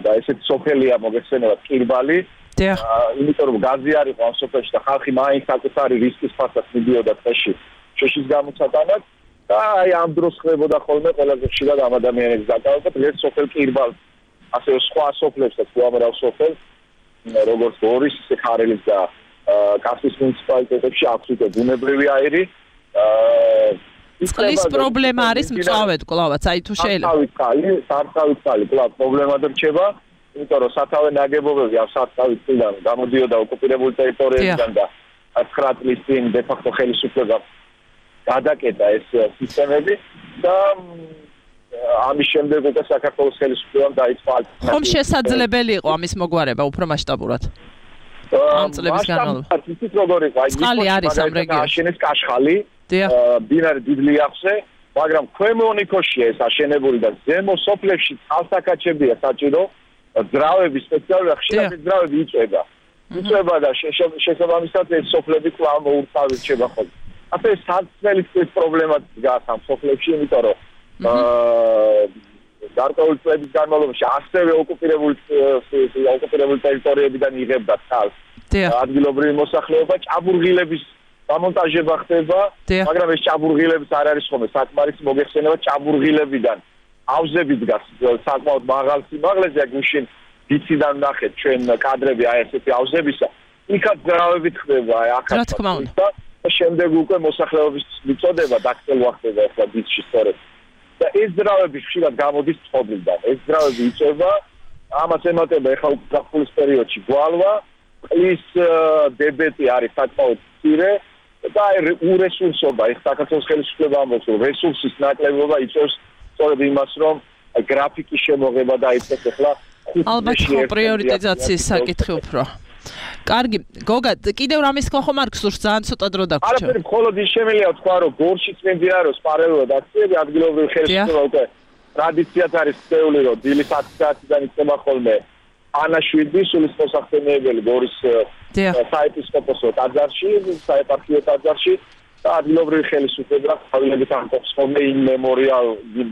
და ესეთ სოფელია მოგეხსენებათ კირბალი. იმიტომ რომ გაზი არ იყო ამ სოფელში და ხალხი მაინც საკუთარი რისკის ფასად მიდიოდა ტყეში შეშის გამოცატანად და აი ამ დროს ხდებოდა ხოლმე ყველაზე ხშირად ამ ადამიანების დაკავება. დღეს სოფელ კირბალს, ასევე სხვა სოფლებსაც უამრავ სოფელს როგორც გორის, ხარელის და კასპიის მუნიციპალიტეტებში აქვს უკვე ბუნებრივი აირი. წყლის პრობლემა არის მწვავედ კლავაც, აი თუ შეიძლება. სარწყავი წყალი კლავ პრობლემად რჩება, იმიტომ რომ სათავე ნაგებობები ამ სარწყავი წყლიდან გამოდიოდა ოკუპირებული ტერიტორიებიდან და 9 წლის წინ დე-ფაქტო ხელისუფლება გადაკეტა ეს სისტემები და ამის შემდეგ უკვე საქართველოს ხელისუფლებამ დაიწყო ხომ შესაძლებელი იყო ამის მოგვარება უფრო მასშტაბურად? ამ წლების განმავლობაში. ისიც როგორ იყო, წყალი არის ამ რეგიონში. აშენეს კაშხალი, მდინარე დიდ ლიახზე, მაგრამ ქვემო ონიქოშია ეს აშენებული და ზემო სოფლებში წყალსაკაჩებია საჭირო, ძრავები სპეციალურად ხშირად ძრავები იწვება. იწვება და შესაბამისად ეს სოფლები კვლავ მოურთავი რჩება ხოლმე. ასე საწმელის პრობლემაც დგას ამ სოფლებში, იმიტომ რომ გარკვეული წლების განმავლობაში ასევე ოკუპირებული ტერიტორიებიდან იღებდა წყალს. ადგილობრივი მოსახლეობა ჭაბურღილების დამონტაჟება ხდება, მაგრამ ეს ჭაბურღილებიც არ არის ხოლმე საკმარისი. მოგეხსენება ჭაბურღილებიდან ავზები დგას საკმაოდ მაღალ სიმაღლეზე, გუშინ ვიციდან ნახეთ ჩვენ კადრები აი ესეთი ავზებისა. იქაც ძრავები ხდება, აი აქაც. რა თქმა უნდა. და შემდეგ უკვე მოსახლეობის მიწოდება დაქცევა ხდება ახლა ვიცში სწორედ. და ეს ძრავები ხშირად გამოდის წყობილიდან. ეს ძრავები იწვება, ამას ემატება ახლა გაფულის პერიოდში გვალვა, ყლის დებეტი არის საკმაოდ მცირე და აი ურესურსობა, ეს საქართველოს ხელისუფლება ამბობს, რომ რესურსის ნაკლებობა იწვევს სწორედ იმას, რომ გრაფიკის შემოღება დაიწყეს ახლა. ალბათ პრიორიტიზაციის საკითხი უფრო. კარგი, გოგა, კიდევ რამის თქვა ხომ არ გსურს, ძალიან ცოტა დრო დაგვრჩა. არაფერი, მხოლოდ ის შემიძლია თქვა, რომ გორშიც მიმდინარეობს პარალელურად აქციები, ადგილობრივი ხელისუფლება უკვე ტრადიციად არის წეული, რომ დილის 10 საათიდან იწყება ხოლმე ანაშვიდი, სულის მოსახსენიებელი გორის საეპისკოპოსო ტაძარში, საეპარქიო ტაძარში და ადგილობრივი ხელისუფლება თავიანთი ამბობს ხოლმე იმ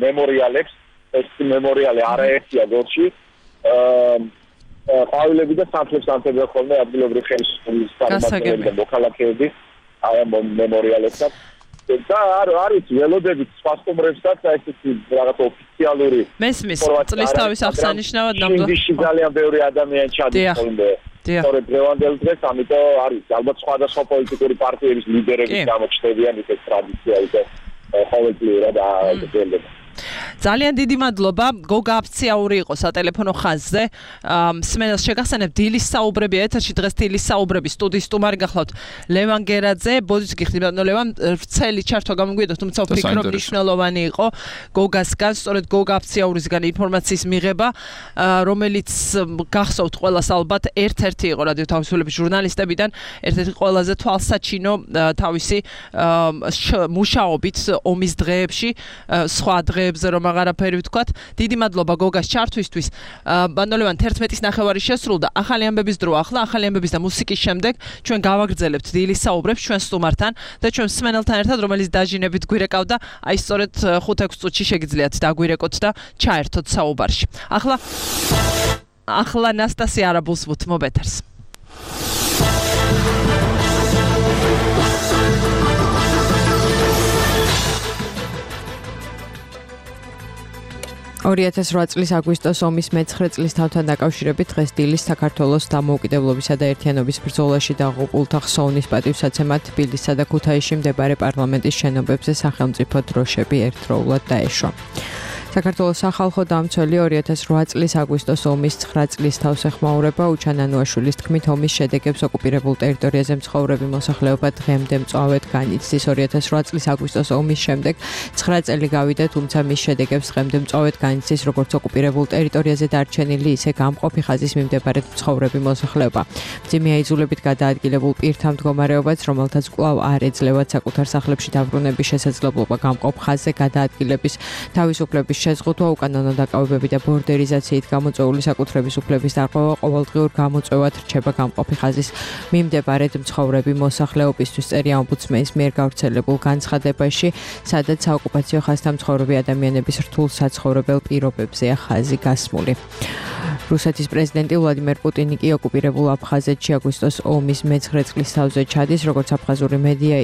მემორიალებს, ეს მემორიალი არაერთია გორში. ყვავილები და სამთლებს ანთებდა ხოლმე ადგილობრივი ხელისუფლების წარმომადგენლები და მოქალაქეები აი ამ მემორიალებსაც და არის ველოდებით სხვა სტუმრებსაც ესეთი რაღაც ოფიციალური მესმის წლის თავის აღსანიშნავად ნამდვილად ძალიან ბევრი ადამიანი ჩადის ხოლმე სწორედ დღევანდელ დღეს, ამიტომ არის ალბათ სხვადასხვა პოლიტიკური პარტიების ლიდერები გამოჩნდებიან ეს ტრადიცია უკვე ყოველწლიურად აღწევდება. ძალიან დიდი მადლობა. გოგა აფციაური იყო სატელეფონო ხაზზე. მსმენელს შეგახსენებ დილის საუბრები ეთერში, დღეს დილის საუბრები სტუდიის სტუმარი გახლავთ ლევან გერაძე. ბოდიშ გიხდით ლევან, ვრცელი ჩართვა გამოგვიედოთ, თუმცა ვფიქრობ მნიშვნელოვანი იყო გოგასგან, სწორედ გოგა აფციაურისგან ინფორმაციის მიღება, რომელიც გახსოვთ ყველას ალბათ ერთ-ერთი იყო რადიო თავისუფლების ჟურნალისტებიდან, ერთ-ერთი ყველაზე თვალსაჩინო თავისი მუშაობით ომის დღეებში, სხვა დღეებზე რომ აღარაფერი ვთქვათ. დიდი მადლობა გოგას ჩართვისთვის. ბანდოლევან 11-ის ნახევარი შესრულდა. ახალი ამბების დრო ახლა, ახალი ამბების და მუსიკის შემდეგ ჩვენ გავაგრძელებთ დილის საუბრებს ჩვენ სტუმართან და ჩვენ მსმენელთან ერთად, რომელიც დაჟინებით გვირეკავდა, აი სწორედ 5-6 წუთში შეგიძლიათ დაგვირეკოთ და ჩაერთოთ საუბარში. ახლა ნასტასია არაბულს ვუთმობ ეთერს. 2008 წლის აგვისტოს ომის მე-9 წლის თავთან დაკავშირებით დღეს დილის საქართველოს დამოუკიდებლობისა და ერთიანობის ბრძოლაში დაღუპულთა ხსოვნის პატივსაცემად თბილისსა და ქუთაისში მდებარე პარლამენტის შენობებზე სახელმწიფო დროშები ერთდროულად დაეშვა. საქართველოს სახალხო დამცველი 2008 წლის აგვისტოს ომის 9 წლის თავსეხმაურება უჩანანუაშვილის თქმით ომის შედეგებს ოკუპირებულ ტერიტორიაზე მცხოვრები მოსახლეობა დღემდე მწვავედ განიცდის. 2008 წლის აგვისტოს ომის შემდეგ 9 წელი გავიდა, თუმცა მის შედეგებს დღემდე მწვავედ განიცდის როგორც ოკუპირებულ ტერიტორიაზე დარჩენილი, ისე გამყოფი ხაზის მიმდებარედ მცხოვრები მოსახლეობა. მძიმე აიძულებით გადაადგილებულ პირთა მდგომარეობაც, რომელთაც კვლავ არ ეძლევათ საკუთარ სახლებში დაბრუნების შესაძლებლობა გამყოფ ხაზზე გადაადგილების თავისუფლების შეზღუდვა, უკანონო დაკავებები და ბორდერიზაციით გამოწვეული საკუთრების უფლების დარღვევა ყოველდღიურ გამოწვევად რჩება გამყოფი ხაზის მიმდებარედ მცხოვრები მოსახლეობისთვის. წერია ომბუდსმენის მიერ გავრცელებულ განცხადებაში, სადაც საოკუპაციო ხაზთან მცხოვრები ადამიანების რთულ საცხოვრებელ პირობებზეა ხაზი გასმული. რუსეთის პრეზიდენტი ვლადიმერ პუტინი კი ოკუპირებულ აფხაზეთში აგვისტოს ომის მე-9 წლის თავზე ჩადის, როგორც აფხაზური მედია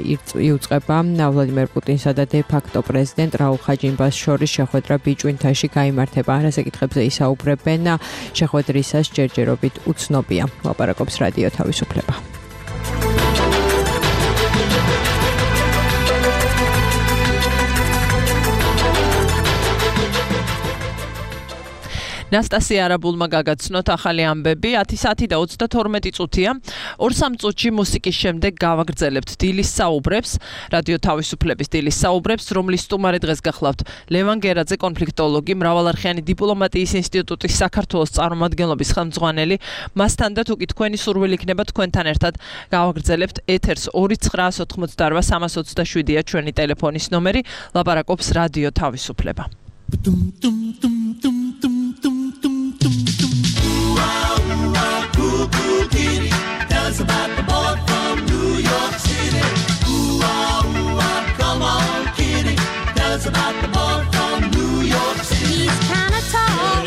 იუწყება ვლადიმერ პუტინსა და დე-ფაქტო პრეზიდენტ რაულ ხაჯინბას შორის შეხვედრა ბიჭვინთაში გაიმართება. რა საკითხებზე ისაუბრებენ, შეხვედრისას ჯერჯერობით უცნობია. ლაპარაკობს რადიო თავისუფლება. ნასტასია არაბულმა გაგაცნოთ ახალი ამბები 10 საათი და 32 წუთია 2-3 წუთში მუსიკის შემდეგ გავაგრძელებთ დილის საუბრებს რადიო თავისუფლების დილის საუბრებს რომლის სტუმარი დღეს გახლავთ ლევან გერაძე კონფლიქტოლოგი მრავალარხიანი დიპლომატიის ინსტიტუტის საქართველოს წარმომადგენლობის ხელმძღვანელი მასთან და თუკი თქვენი სურვილი იქნება თქვენთან ერთად გავაგრძელებთ ეთერს 2988327-ია ჩვენი ტელეფონის ნომერი ლაპარაკობს რადიო თავისუფლება Tell us about the boy from New York City. Ooh, ah, come on, kitty. Tell us about the boy from New York City. He's kinda tall.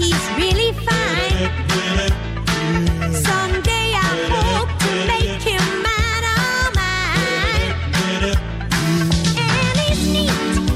He's really fine. Someday I hope to make him mine, oh mine. And he's neat and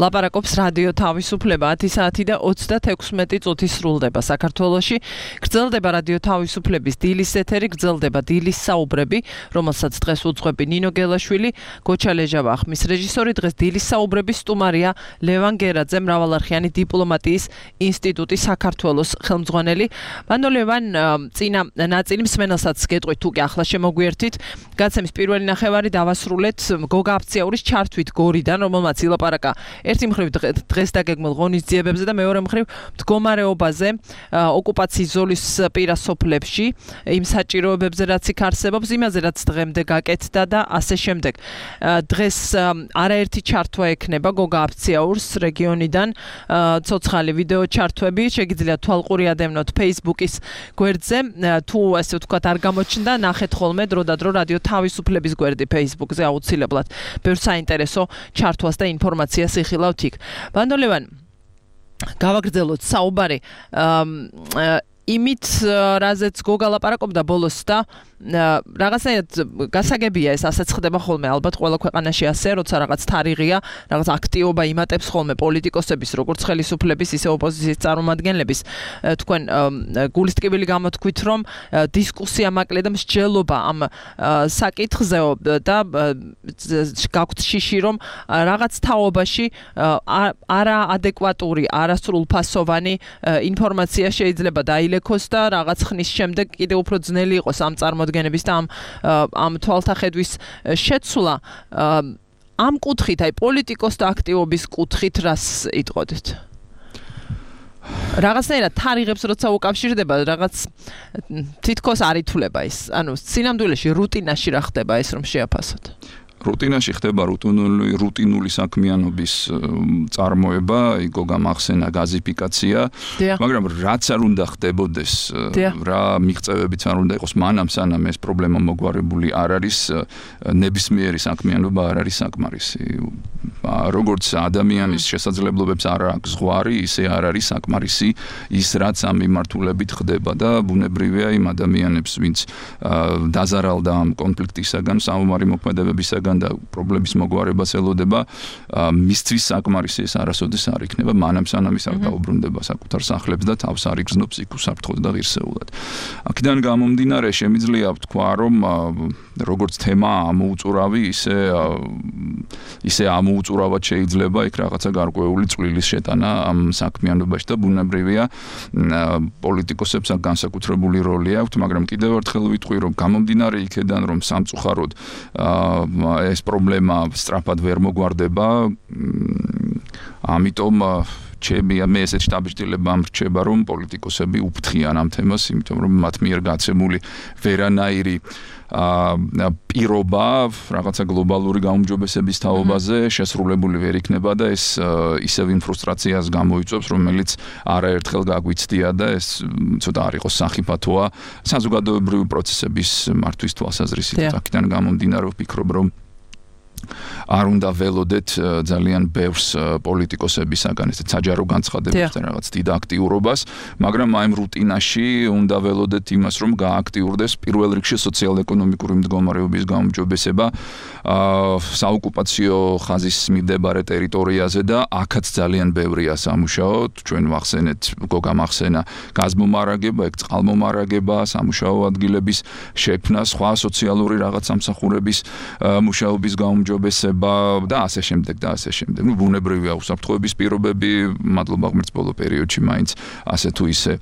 ლაპარაკობს რადიო თავისუფლება 10 საათი და 36 წუთი სრულდება საქართველოში. გრძელდება რადიო თავისუფლების დილის ეთერი, გრძელდება დილის საუბრები, რომელსაც დღეს უძღვები ნინო გელაშვილი, გოჩა ლეჟავა ხმის რეჟისორი. დღეს დილის საუბრების სტუმარია ლევან გერაძე, მრავალარხიანი დიპლომატიის ინსტიტუტის საქართველოს ხელმძღვანელი. ბანდო ლევან, წინა ნაწილი მსმენელსაც გეტყვით თუ კი ახლა შემოგვიერთით. გაცემის პირველი ნახევარი დავასრულეთ გოგა აფციაურის ჩართვით გორიდან, რომელმაც ილაპარაკა ერთი მხრივ დღეს დაგეგმილ ღონისძიებებზე და მეორე მხრივ მდგომარეობაზე ოკუპაციის ზოლის პირასოფლებში, იმ საჭიროებებზე, რაც იქ არსებობს, იმაზე, რაც დღემდე გაკეთდა და ასე შემდეგ. დღეს არაერთი ჩართვა ექნება გოგა აფციაურს რეგიონიდან, ცოცხალი ვიდეო ჩართვები, შეგიძლიათ თვალყური ადევნოთ Facebook-ის გვერდზე, თუ ასე ვთქვათ არ გამოჩნდა, ნახეთ ხოლმე დრო და დრო რადიო თავისუფლების გვერდი Facebook-ზე აუცილებლად. ბევრ საინტერესო ჩართვას და ინფორმაციას იხილავთ იქ. ბანდო ლევან, გავაგრძელოთ საუბარი იმით, რაზეც გოგა ლაპარაკობდა ბოლოს და რაღაცნაირად გასაგებია ეს ასეც ხდება ხოლმე ალბათ ყველა ქვეყანაში ასე, როცა რაღაც თარიღია, რაღაც აქტივობა იმატებს ხოლმე პოლიტიკოსების, როგორც ხელისუფლების, ისე ოპოზიციის წარმომადგენლების. თქვენ გულისტკივილი გამოთქვით, რომ დისკუსია მაკლია და მსჯელობა ამ საკითხზეო და გაქვთ შიში, რომ რაღაც თაობაში არაადეკვატური, არასრულფასოვანი ინფორმაცია შეიძლება დაილექოს და რაღაც ხნის შემდეგ კიდევ უფრო ძნელი იყოს ამ წარმოდგენების და ამ თვალთახედვის შეცვლა. ამ კუთხით, აი პოლიტიკოსთა აქტივობის კუთხით რას იტყოდეთ? რაღაცნაირად თარიღებს როცა უკავშირდება, რაღაც თითქოს არ ითვლება ის. ანუ სინამდვილეში რუტინაში რა ხდება ეს რომ შეაფასოთ? რუტინაში ხდება რუტინული საქმიანობის წარმოება, იგო გამახსენა გაზიფიკაცია, მაგრამ რაც არ უნდა ხდებოდეს, რა მიღწევებიც არ უნდა იყოს მანამ სანამ ეს პრობლემა მოგვარებული არ არის, ნებისმიერი საქმიანობა არ არის საკმარისი. როგორც ადამიანის შესაძლებლობებს არ აქვს ზღვარი, ისე არ არის საკმარისი ის, რაც ამ მიმართულებით ხდება და ბუნებრივია იმ ადამიანებს, ვინც დაზარალდა ამ კონფლიქტისაგან, საომარი მოქმედებებისაგან და პრობლემის მოგვარებას ელოდება, მისთვის საკმარისი ეს არასოდეს არ იქნება, მანამ სანამ ის არ დაუბრუნდება საკუთარ სახლებს და თავს არ იგრძნობს იქ უსაფრთხოდ და ღირსეულად. აქედან გამომდინარე შემიძლია ვთქვა, რომ როგორც თემა ამოუწურავი, ისე ამოუწურავად შეიძლება იქ რაღაცა გარკვეული წვლილის შეტანა ამ საქმიანობაში და ბუნებრივია პოლიტიკოსებს აქ განსაკუთრებული როლი აქვთ, მაგრამ კიდევ ერთხელ ვიტყვი, რომ გამომდინარე იქედან, რომ სამწუხაროდ ეს პრობლემა სწრაფად ვერ მოგვარდება, ამიტომ მე ესეთ შტაბ-შტილება მრჩება, რომ პოლიტიკოსები უფრთხიან ამ თემას, იმიტომ რომ მათ მიერ გაცემული ვერანაირი პირობა რაღაცა გლობალური გაუმჯობესების თაობაზე შესრულებული ვერ იქნება და ეს ისევ იმ ფრუსტრაციას გამოიწვევს, რომელიც არაერთხელ გაგვიცდია და ეს ცოტა არ იყოს სახიფათოა საზოგადოებრივი პროცესების მართვის თვალსაზრისით. აქედან გამომდინარე ვფიქრობ, რომ არ უნდა ველოდეთ ძალიან ბევრს პოლიტიკოსებისაგან ესეთ საჯარო განცხადებებთან რაღაც დიდ აქტიურობას, მაგრამ აი ამ რუტინაში უნდა ველოდეთ იმას, რომ გააქტიურდეს პირველ რიგში სოციალ-ეკონომიკური მდგომარეობის გაუმჯობესება საოკუპაციო ხაზის მიმდებარე ტერიტორიაზე და აქაც ძალიან ბევრია სამუშაო. ჩვენ ვახსენეთ გოგა მახსენა გაზმომარაგება, ეგ წყალმომარაგება, სამუშაო ადგილების შექმნა, სხვა სოციალური რაღაც სამსახურების მუშაობის გაუმჯობესება და ასე შემდეგ და ასე შემდეგ. ნუ ბუნებრივია უსაფრთხოების პირობები, მადლობა ღმერთს ბოლო პერიოდში მაინც ასე თუ ისე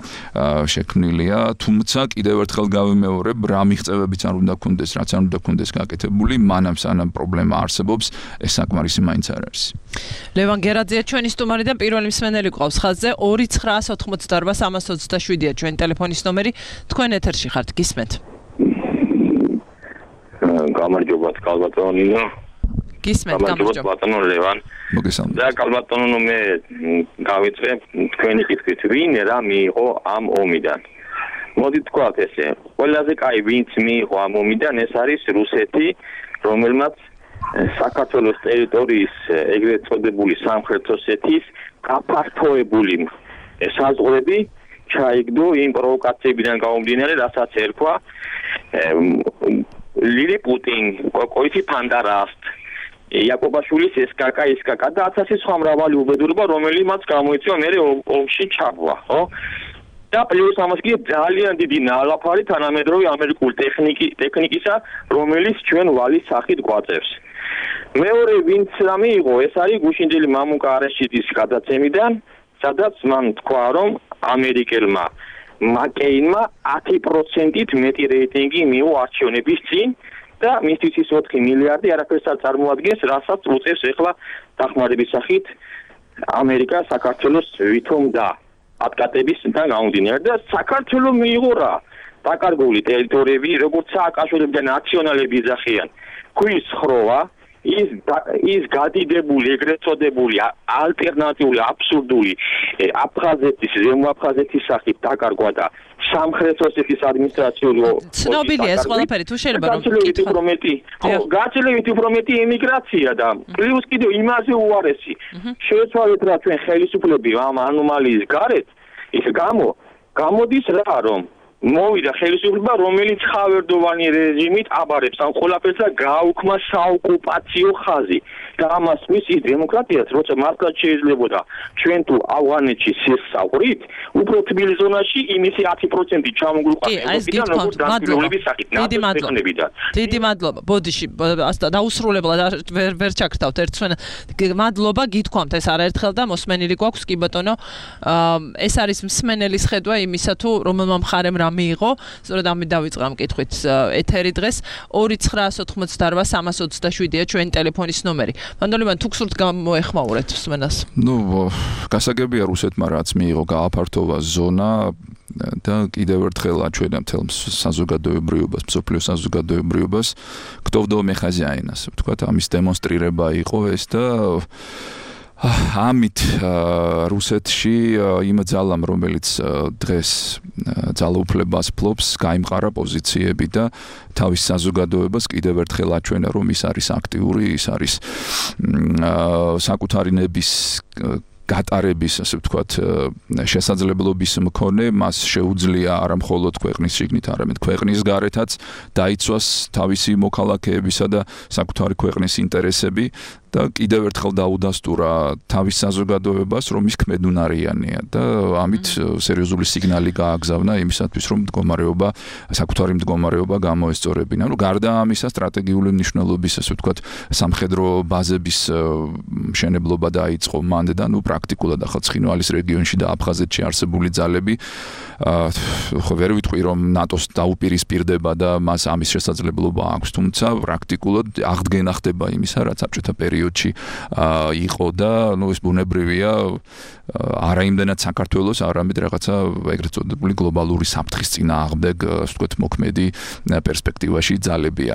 შექმნილია, თუმცა კიდევ ერთხელ გავიმეორებ, რა მიღწევებიც არ უნდა გქონდეს, რაც არ უნდა გქონდეს გაკეთებული, მანამ სანამ პრობლემა არსებობს, ეს საკმარისი მაინც არ არის. ლევან გერაძეა ჩვენი სტუმარი და პირველი მსმენელი გვყავს ხაზზე 2988327-ია ჩვენი ტელეფონის ნომერი. თქვენ ეთერში ხართ, გისმენთ. გამარჯობა კალბატონო ნინო. გისმენთ, გამარჯობა ბატონო ლევან. მოგესალმებით. და კალბატონო მე გავიწვე თქვენი კითხვით, ვინ რა მიიღო ამ ომიდან? მოდით თქვათ ესე, ყველაზე კაი ვინც მიიღო ამ ომიდან, ეს არის რუსეთი, რომელმაც საქართველოს ტერიტორიის ეგრეთ წოდებული სამხრეთ ოსეთის გაფართოებული საზღვრები ჩაიგდო იმ პროვოკაციებიდან გამომდინარე, რასაც ერქვა ლილიპუტინ, კოიტი ფანდარასტ იაკობაშვილის SKK და ასეთი სხვა მრავალი უბედურება, რომელიც გამოიწვია მერე ომში ჩაბვა, ხო? და პლუს ამას კი ძალიან დიდი ნალაფარი თანამედროვე ამერიკული ტექნიკისა, რომელიც ჩვენ ვალის სახით გვაწევს. მეორე ვინც რა მიიღო, ეს არის გუშინდელი მამუკა არაშიძის გადაცემიდან, სადაც მან თქვა, რომ ამერიკელმა მაკეინმა 10%-ით მეტი რეიტინგი მიიღო არჩევნების წინ და მისთვის ის 4 მილიარდი არაფერს არ წარმოადგენს, რასაც უწევს ახლა დახმარების სახით ამერიკა საქართველოს ვითომდა ატკატებისგან გამომდინარე და საქართველოს მიიღო რა დაკარგული ტერიტორიები, როგორც სააკაშვილები და ნაციონალები იძახიან. ქვის ხროვა ის გადიდებული, ეგრეთ წოდებული ალტერნატიული აბსურდული აფხაზეთის, ზემო აფხაზეთის სახით დაკარგვა და სამხრეთ ოსეთის ადმინისტრაციული ცნობილია ეს ყველაფერი, თუ შეიძლება რომ გაცილებით უფრო მეტი ემიგრაცია და პლუს კიდევ იმაზე უარესი შეეცვალეთ რა ჩვენ ხელისუფლები ამ ანომალიის გარეთ ის გამოდის რა რომ მოვიდა ხელისუფლება, რომელიც ხავერდოვანი რეჟიმით აბარებს ამ ყველაფერს და გააუქმა საოკუპაციო ხაზი. და ამას მისის დემოკრატიას, როცა მართლაც შეიძლებოდა ჩვენ თუ ავღანეთში სისწავლით, უფრო თბილ ზონაში იმისი 10% ჩამოგუყავდა როგორც დამკვირვებლების სახით. დიდი მადლობა. ბოდიში დაუსრულებლად ვერ ჩაქრთავთ ერთსვენ. მადლობა გითქვამთ ეს არაერთხელ და მოსმენილი გვაქვს კი ბატონო. ეს არის მსმენელის ხედვა იმისა თუ რომელმა მხარემ რა მიიღო, სწორედ ამით დავიწყე ამ კითხვით ეთერი დღეს 2988-327-ია ჩვენი ტელეფონის ნომერი. მანდოლიმან თუ გსურთ გამოეხმაურეთ მსმენელს. გასაგებია რუსეთმა რაც მიიღო გააფართოვა ზონა და კიდევ ერთხელ აჩვენა მთელ საზოგადოებრიობას, მსოფლიო საზოგადოებრიობას, кто в доме хозяин, ასე ვთქვათ, ამის დემონსტრირება იყო ეს და ამით რუსეთში იმ ძალამ, რომელიც დღეს ძალაუფლებას ფლობს, გაიმყარა პოზიციები და თავის საზოგადოებას კიდევ ერთხელ აჩვენა, რომ ის არის აქტიური, ის არის საკუთარი ნების გატარების, ასე ვთქვათ, შესაძლებლობის მქონე, მას შეუძლია არა მხოლოდ ქვეყნის შიგნით, არამედ ქვეყნის გარეთაც დაიცვას თავისი მოქალაქეებისა და საკუთარი ქვეყნის ინტერესები და კიდევ ერთხელ დაუდასტურა თავის საზოგადოებას, რომ ის ქმედუნარიანია და ამით სერიოზული სიგნალი გააგზავნა იმისათვის, რომ საკუთარი მდგომარეობა გამოესწორებინა. გარდა ამისა, სტრატეგიული მნიშვნელობის, ასე ვთქვათ, სამხედრო ბაზების მშენებლობა დაიწყო მანდ და პრაქტიკულად ახლა ცხინვალის რეგიონში და აფხაზეთში არსებული ძალები ხო ვერ ვიტყვი რომ ნატოს დაუპირისპირდება და მას ამის შესაძლებლობა აქვს, თუმცა პრაქტიკულად აღდგენა ხდება იმისა, რაც საბჭოთა პერიოდში იყო და ეს ბუნებრივია არა იმდენად საქართველოს, არამედ რაღაცა ეგრეთ წოდებული გლობალური საფრთხის წინააღმდეგ, ასე ვთქვათ, მოქმედი პერსპექტივაში ძალებია.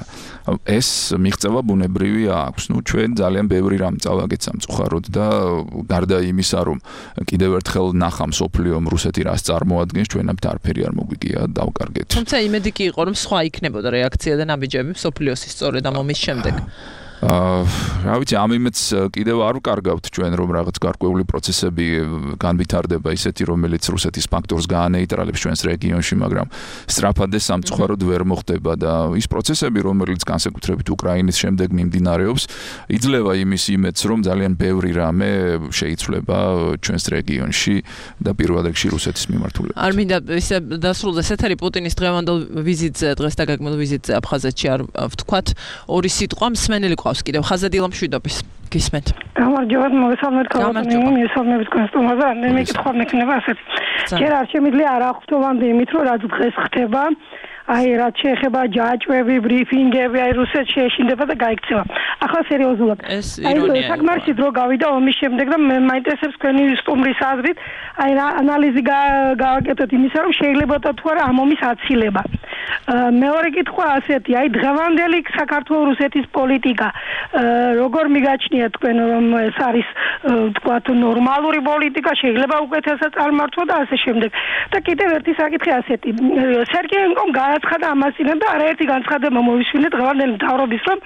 ეს მიღწევა ბუნებრივი აქვს. ჩვენ ძალიან ბევრი რამ წავაგეთ სამწუხაროდ და გარდა იმისა, რომ კიდევ ერთხელ ნახა მსოფლიომ რუსეთი რას წარმოადგენს, ჩვენამდე არაფერი არ მოგვიგია დავკარგეთ. თუმცა იმედი კი იყო, რომ სხვა იქნებოდა რეაქცია და ნაბიჯები მსოფლიოსის სწორედ ამ ომის შემდეგ. რა ვიცი, ამ იმედს კიდევ არ ვკარგავთ ჩვენ, რომ რაღაც გარკვეული პროცესები განვითარდება ისეთი, რომელიც რუსეთის ფაქტორს გაანეიტრალებს ჩვენს რეგიონში, მაგრამ სწრაფად ეს სამწუხაროდ ვერ მოხდება და ის პროცესები, რომელიც განსაკუთრებით უკრაინის შემდეგ მიმდინარეობს, იძლევა იმის იმედს, რომ ძალიან ბევრი რამე შეიცვლება ჩვენს რეგიონში და პირველ რიგში რუსეთის მიმართულებით. არ მინდა ისე დასრულდეს ეთერი პუტინის დღევანდელ ვიზიტზე, დღეს დაგეგმილ ვიზიტზე აფხაზეთში არ ვთქვათ, ორი სიტყვა მსმენელი ყავს კიდევ ხაზადილა მშვიდობის გისმენთ. გამარჯობა, მოგესალმებით ქალბატონო, მისალმებით კონსტუმაზე, მე მეკითხვა მექნება ასეთი. ჯერ არ შემიძლია არ აღვთოვანდი იმით, რომ რაც დღეს ხდება, აი რაც შეეხება ჯაჭვები, ბრიფინგები, აი რუსეთში ეშინდება და გაიქცევა. ახლა სერიოზულად. აი საკმარისი დრო გავიდა ომის შემდეგ და მე მაინტერესებს თქვენი სტუმრის აზრით, აი რა ანალიზი გავაკეთოთ იმისა, რომ შეიძლება თუ არა ამ ომის აცილება. მეორე კითხვა ასეთი, აი დღევანდელი საქართველოს-რუსეთის პოლიტიკა როგორ მიგაჩნიათ თქვენ, რომ ეს არის თქვათ ნორმალური პოლიტიკა, შეიძლება უკეთესად წარმართვა და ასე შემდეგ. და კიდევ ერთი საკითხი ასეთი, სერგეენკომ განაცხადა ამასინებ და არაერთი განცხადება მოვისმინეთ დღევანდელი მთავრობის, რომ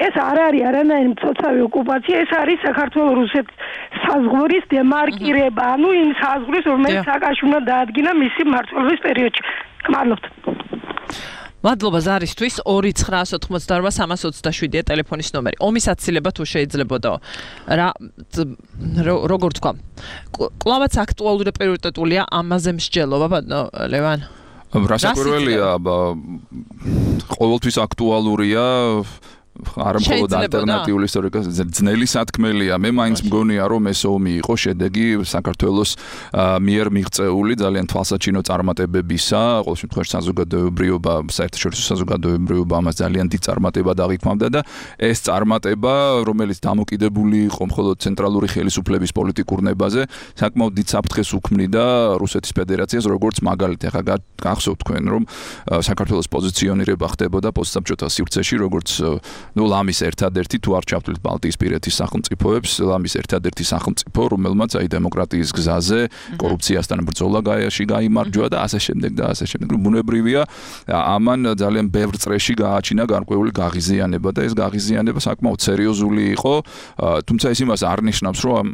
ეს არ არის არანაირი მცოცავი ოკუპაცია, ეს არის საქართველოს-რუსეთის საზღვრის დემარკირება, ანუ იმ საზღვრის, რომელიც სააკაშვილმა დაადგინა მისი მმართველობის პერიოდში. გმადლობთ. მადლობა ზარისთვის 2988327 ტელეფონის ნომერი. ომის აცილება თუ შეიძლებოდა. როგორ თქვა? კლავაც აქტუალური და პრიორიტეტულია ამაზე მსჯელობა, ბატონო ლევან. რასაკვირველია, ყოველთვის აქტუალურია არა მხოლოდ ალტერნატიული ისტორიკა ძნელი სათქმელია. მე მაინც მგონია რომ ეს ომი იყო შედეგი საქართველოს მიერ მიღწეული ძალიან თვალსაჩინო წარმატებებისა. ყოველ შემთხვევაში საზოგადოებრიობა, საერთაშორისო საზოგადოებრიობა ამას ძალიან დიდ წარმატებად აღიქვამდა და ეს წარმატება, რომელიც დამოკიდებული იყო მხოლოდ ცენტრალური ხელისუფლების პოლიტიკურ ნებაზე, საკმაოდ დიდ საფრთხეს უქმნიდა რუსეთის ფედერაციას, როგორც მაგალითი. ახლა გახსოვთ თქვენ რომ საქართველოს პოზიციონირება ხდებოდა პოსტსაბჭოთა სივრცეში, როგორც ლამის ერთადერთი თუ არ ჩავთვლით ბალტიისპირეთის სახელმწიფოებს, ლამის ერთადერთი სახელმწიფო, რომელმაც აი დემოკრატიის გზაზე კორუფციასთან ბრძოლა გაიმარჯვა და ასე შემდეგ და ასე შემდეგ. ბუნებრივია, ამან ძალიან ბევრ წრეში გააჩინა გარკვეული გაღიზიანება და ეს გაღიზიანება საკმაოდ სერიოზული იყო, თუმცა ეს იმას არ ნიშნავს, რომ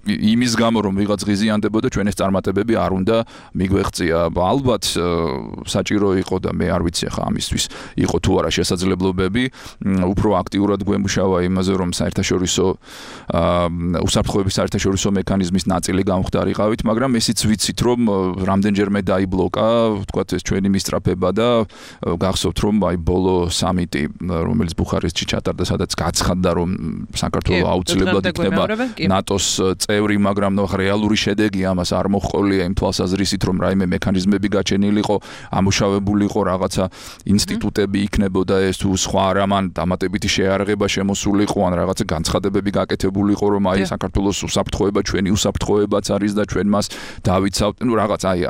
იმის გამო რომ ვიღაც ღიზიანდებოდა, ჩვენ ეს წარმატებები არ უნდა მიგვეღწია. ალბათ საჭირო იყო და მე არ ვიცი ახლა ამისთვის იყო თუ არა შესაძლებლობები უფრო აქტიურად გვემუშავა იმაზე, რომ საერთაშორისო უსაფრთხოების საერთაშორისო მექანიზმის ნაწილი გამხდარიყავით, მაგრამ ესიც ვიცით, რომ რამდენჯერმე დაიბლოკა, ვთქვათ, ეს ჩვენი მისწრაფება და გახსოვთ, რომ აი ბოლო სამიტი, რომელიც ბუხარესტში ჩატარდა, სადაც გაცხადდა, რომ საქართველო აუცილებლად იქნება ნატოს წევრი, მაგრამ რეალური შედეგი ამას არ მოჰყოლია იმ თვალსაზრისით, რომ რაიმე მექანიზმები გაჩენილიყო, ამუშავებულიყო რაღაცა ინსტიტუტები იქნებოდა ეს თუ სხვა რამან დამატებითი შეარაღება შემოსულიყო ან რაღაცა განცხადებები გაკეთებულიყო, რომ აი საქართველოს უსაფრთხოება ჩვენი უსაფრთხოებაც არის და ჩვენ მას დავიცავთ, რაღაც აი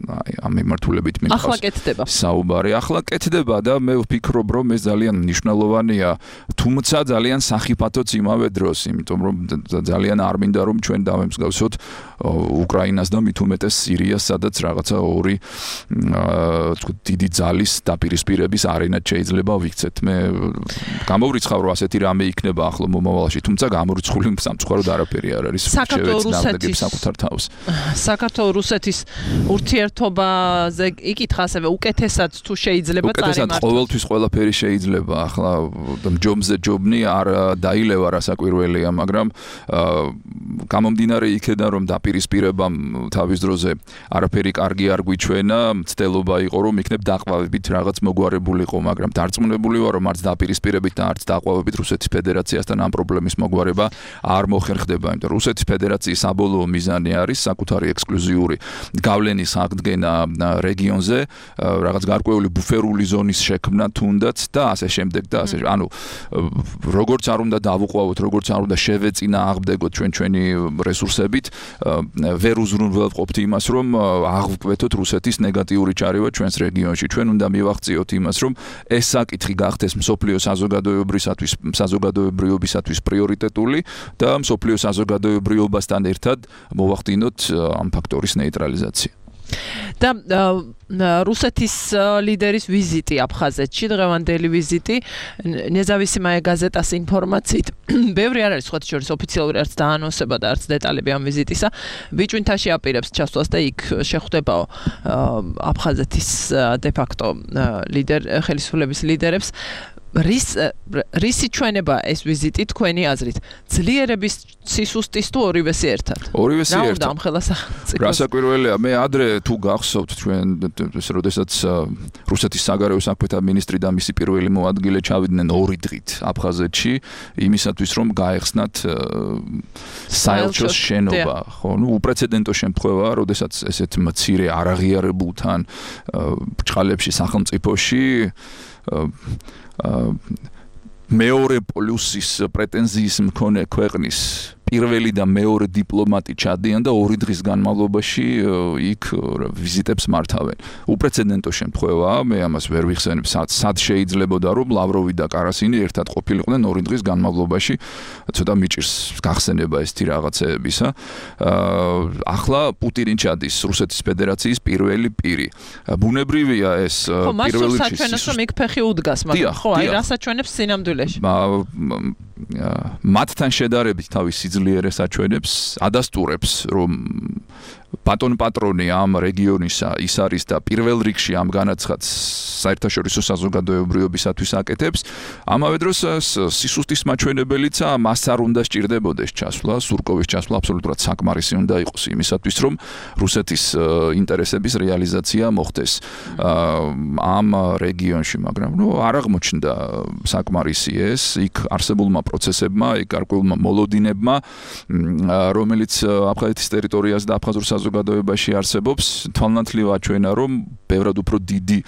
ამ მიმართულებით მითხავს საუბარი. ახლა კეთდება და მე ვფიქრობ, რომ ეს ძალიან მნიშვნელოვანია, თუმცა ძალიან სახიფათოც იმავე დროს, იმიტომ რომ ძალიან არ მინდა რომ ჩვენ დავემსგავსოთ უკრაინას და მით უმეტეს სირიას, სადაც რაღაცა ორი დიდი ძალის დაპირისპირების არენად შეიძლება ვიქცეთ. მე გამოვრიცხავ, რომ ასეთი რამე იქნება ახლო მომავალში, თუმცა გამორიცხული სამწუხაროდ არაფერი არ არის. საქართველოს-რუსეთის ურთიერთობაზე იკითხა ასევე უკეთესად თუ შეიძლება წარიმართოს. უკეთესად ყოველთვის ყველაფერი შეიძლება. ახლა ჯობზე ჯობნი არ დაილევა რასაკვირველია, მაგრამ გამომდინარე იქედან რომ დაპირისპირებამ თავის დროზე არაფერი კარგი არ გვიჩვენა, მცდელობა იყო რომ იქნებ დაყვავებით რაღაც მოგვარებულიყო, მაგრამ დარწმუნებული ვარ რომ არც დაპირისპირებით და არც დაყვავებით რუსეთის ფედერაციასთან ამ პრობლემის მოგვარება არ მოხერხდება, იმიტომ რომ რუსეთის ფედერაციის საბოლოო მიზანი არის საკუთარი ექსკლუზიური გავლენის აღდგენა რეგიონზე, რაღაც გარკვეული ბუფერული ზონის შექმნა თუნდაც და ასე შემდეგ და ასე. ანუ როგორც არ უნდა დავუყვავოთ, როგორც არ უნდა შევეწინააღმდეგოთ ჩვენი რესურსებით, ვერ უზრუნველყოფთ იმას, რომ აღვკვეთოთ რუსეთის ნეგატიური ჩარევა ჩვენს რეგიონში. ჩვენ უნდა მივახციოთ იმას, რომ ეს საკითხი გახდეს მსოფლიო საზოგადოებრიობისათვის პრიორიტეტული და მსოფლიო საზოგადოებრიობასთან ერთად მოვახდინოთ ამ ფაქტორის ნეიტრალიზაცია. და რუსეთის ლიდერის ვიზიტი აფხაზეთში, დღევანდელი ვიზიტი, ნეზავისიმაია გაზეტას ინფორმაციით, ბევრი არ არის სხვათა შორის ოფიციალური არც დაანონსება და არც დეტალები ამ ვიზიტისა, ბიჭვინთაში აპირებს ჩასვლას და იქ შეხვდებაო აფხაზეთის დე-ფაქტო ხელისუფლების ლიდერებს. რისი ჩვენება ეს ვიზიტი თქვენი აზრით? ძლიერების სისუსტის თუ ორივესი ერთად? ორივესი ერთად. რა უნდა ამხელა სახელმწიფოს? რასაკვირველია, მე ადრე თუ გახსოვთ ჩვენ, როდესაც რუსეთის საგარეო საქმეთა მინისტრი და მისი პირველი მოადგილე ჩავიდნენ 2 დღით აფხაზეთში, იმისათვის რომ გაეხსნათ საელჩოს შენობა, ხო? ნუ უპრეცედენტო შემთხვევაა, როდესაც ესეთ მცირე არაღიარებულთან ბრჭყალებში სახელმწიფოში მეორე პლუსის პრეტენზიის მქონე ქვეყნის პირველი და მეორე დიპლომატი ჩადიან და 2 დღის განმავლობაში იქ ვიზიტებს მართავენ. უპრეცედენტო შემთხვევაა, მე ამას ვერ ვიხსენებ, სად შეიძლებოდა რომ ლავროვი და კარასინი ერთად ყოფილიყვნენ 2 დღის განმავლობაში, ცოტა მიჭირს გახსენება ესეთი რაღაცეებისა. ახლა პუტინი ჩადის რუსეთის ფედერაციის პირველი პირი. ბუნებრივია ეს პირველი საჩვენოს რომ იქ ფეხი უდგას, მაგრამ ხო, აი რასაჩვენებს სინამდვილეში. მათთან შედარებით თავის სიძლიერეს აჩვენებს, ადასტურებს, რომ ბატონ პატრონი ამ რეგიონისა ის არის და პირველ რიგში ამ განაცხადს საერთაშორისო საზოგადოებრიობისათვის აკეთებს. ამავე დროს სისუსტის მაჩვენებელიც მას არ უნდა სჭირდებოდეს ჩასვლა, სურკოვის ჩასვლა აბსოლუტურად საკმარისი უნდა იყოს იმისათვის, რომ რუსეთის ინტერესების რეალიზაცია მოხდეს ამ რეგიონში, მაგრამ არ აღმოჩნდა საკმარისი ეს იქ არსებულმა პროცესებმა, იქ გარკვეულმა მოლოდინებმა, რომელიც აფხაზეთის ტერიტორიაზე და აფხაზურ საზოგადოებაში არსებობს, თვალნათლივ აჩვენა, რომ ბევრად უფრო დიდი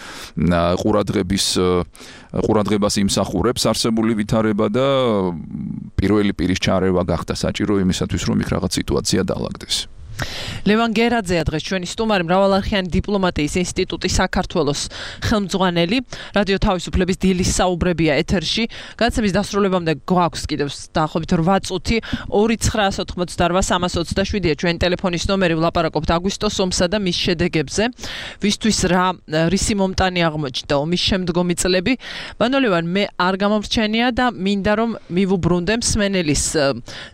ყურადღებას იმსახურებს არსებული ვითარება და პირველი პირის ჩარევა გახდა საჭირო იმისათვის, რომ იქ რაღაც სიტუაცია დაალაგდეს. ლევან გერაძეა დღეს ჩვენი სტუმარი, მრავალარხიანი დიპლომატიის ინსტიტუტის საქართველოს ხელმძღვანელი, რადიო თავისუფლების დილის საუბრებია ეთერში. გადაცემის დასრულებამდე გვაქვს კიდევ დაახლოებით 8 წუთი. 2988327-ია ჩვენი ტელეფონის ნომერი, ვლაპარაკობთ აგვისტოს ომსა და მის შედეგებზე. ვისთვის რისი მომტანი აღმოჩნდა ომის შემდგომი წლები. ბატონ ლევან, მე არ გამომრჩენია და მინდა რომ მივუბრუნდე მსმენელის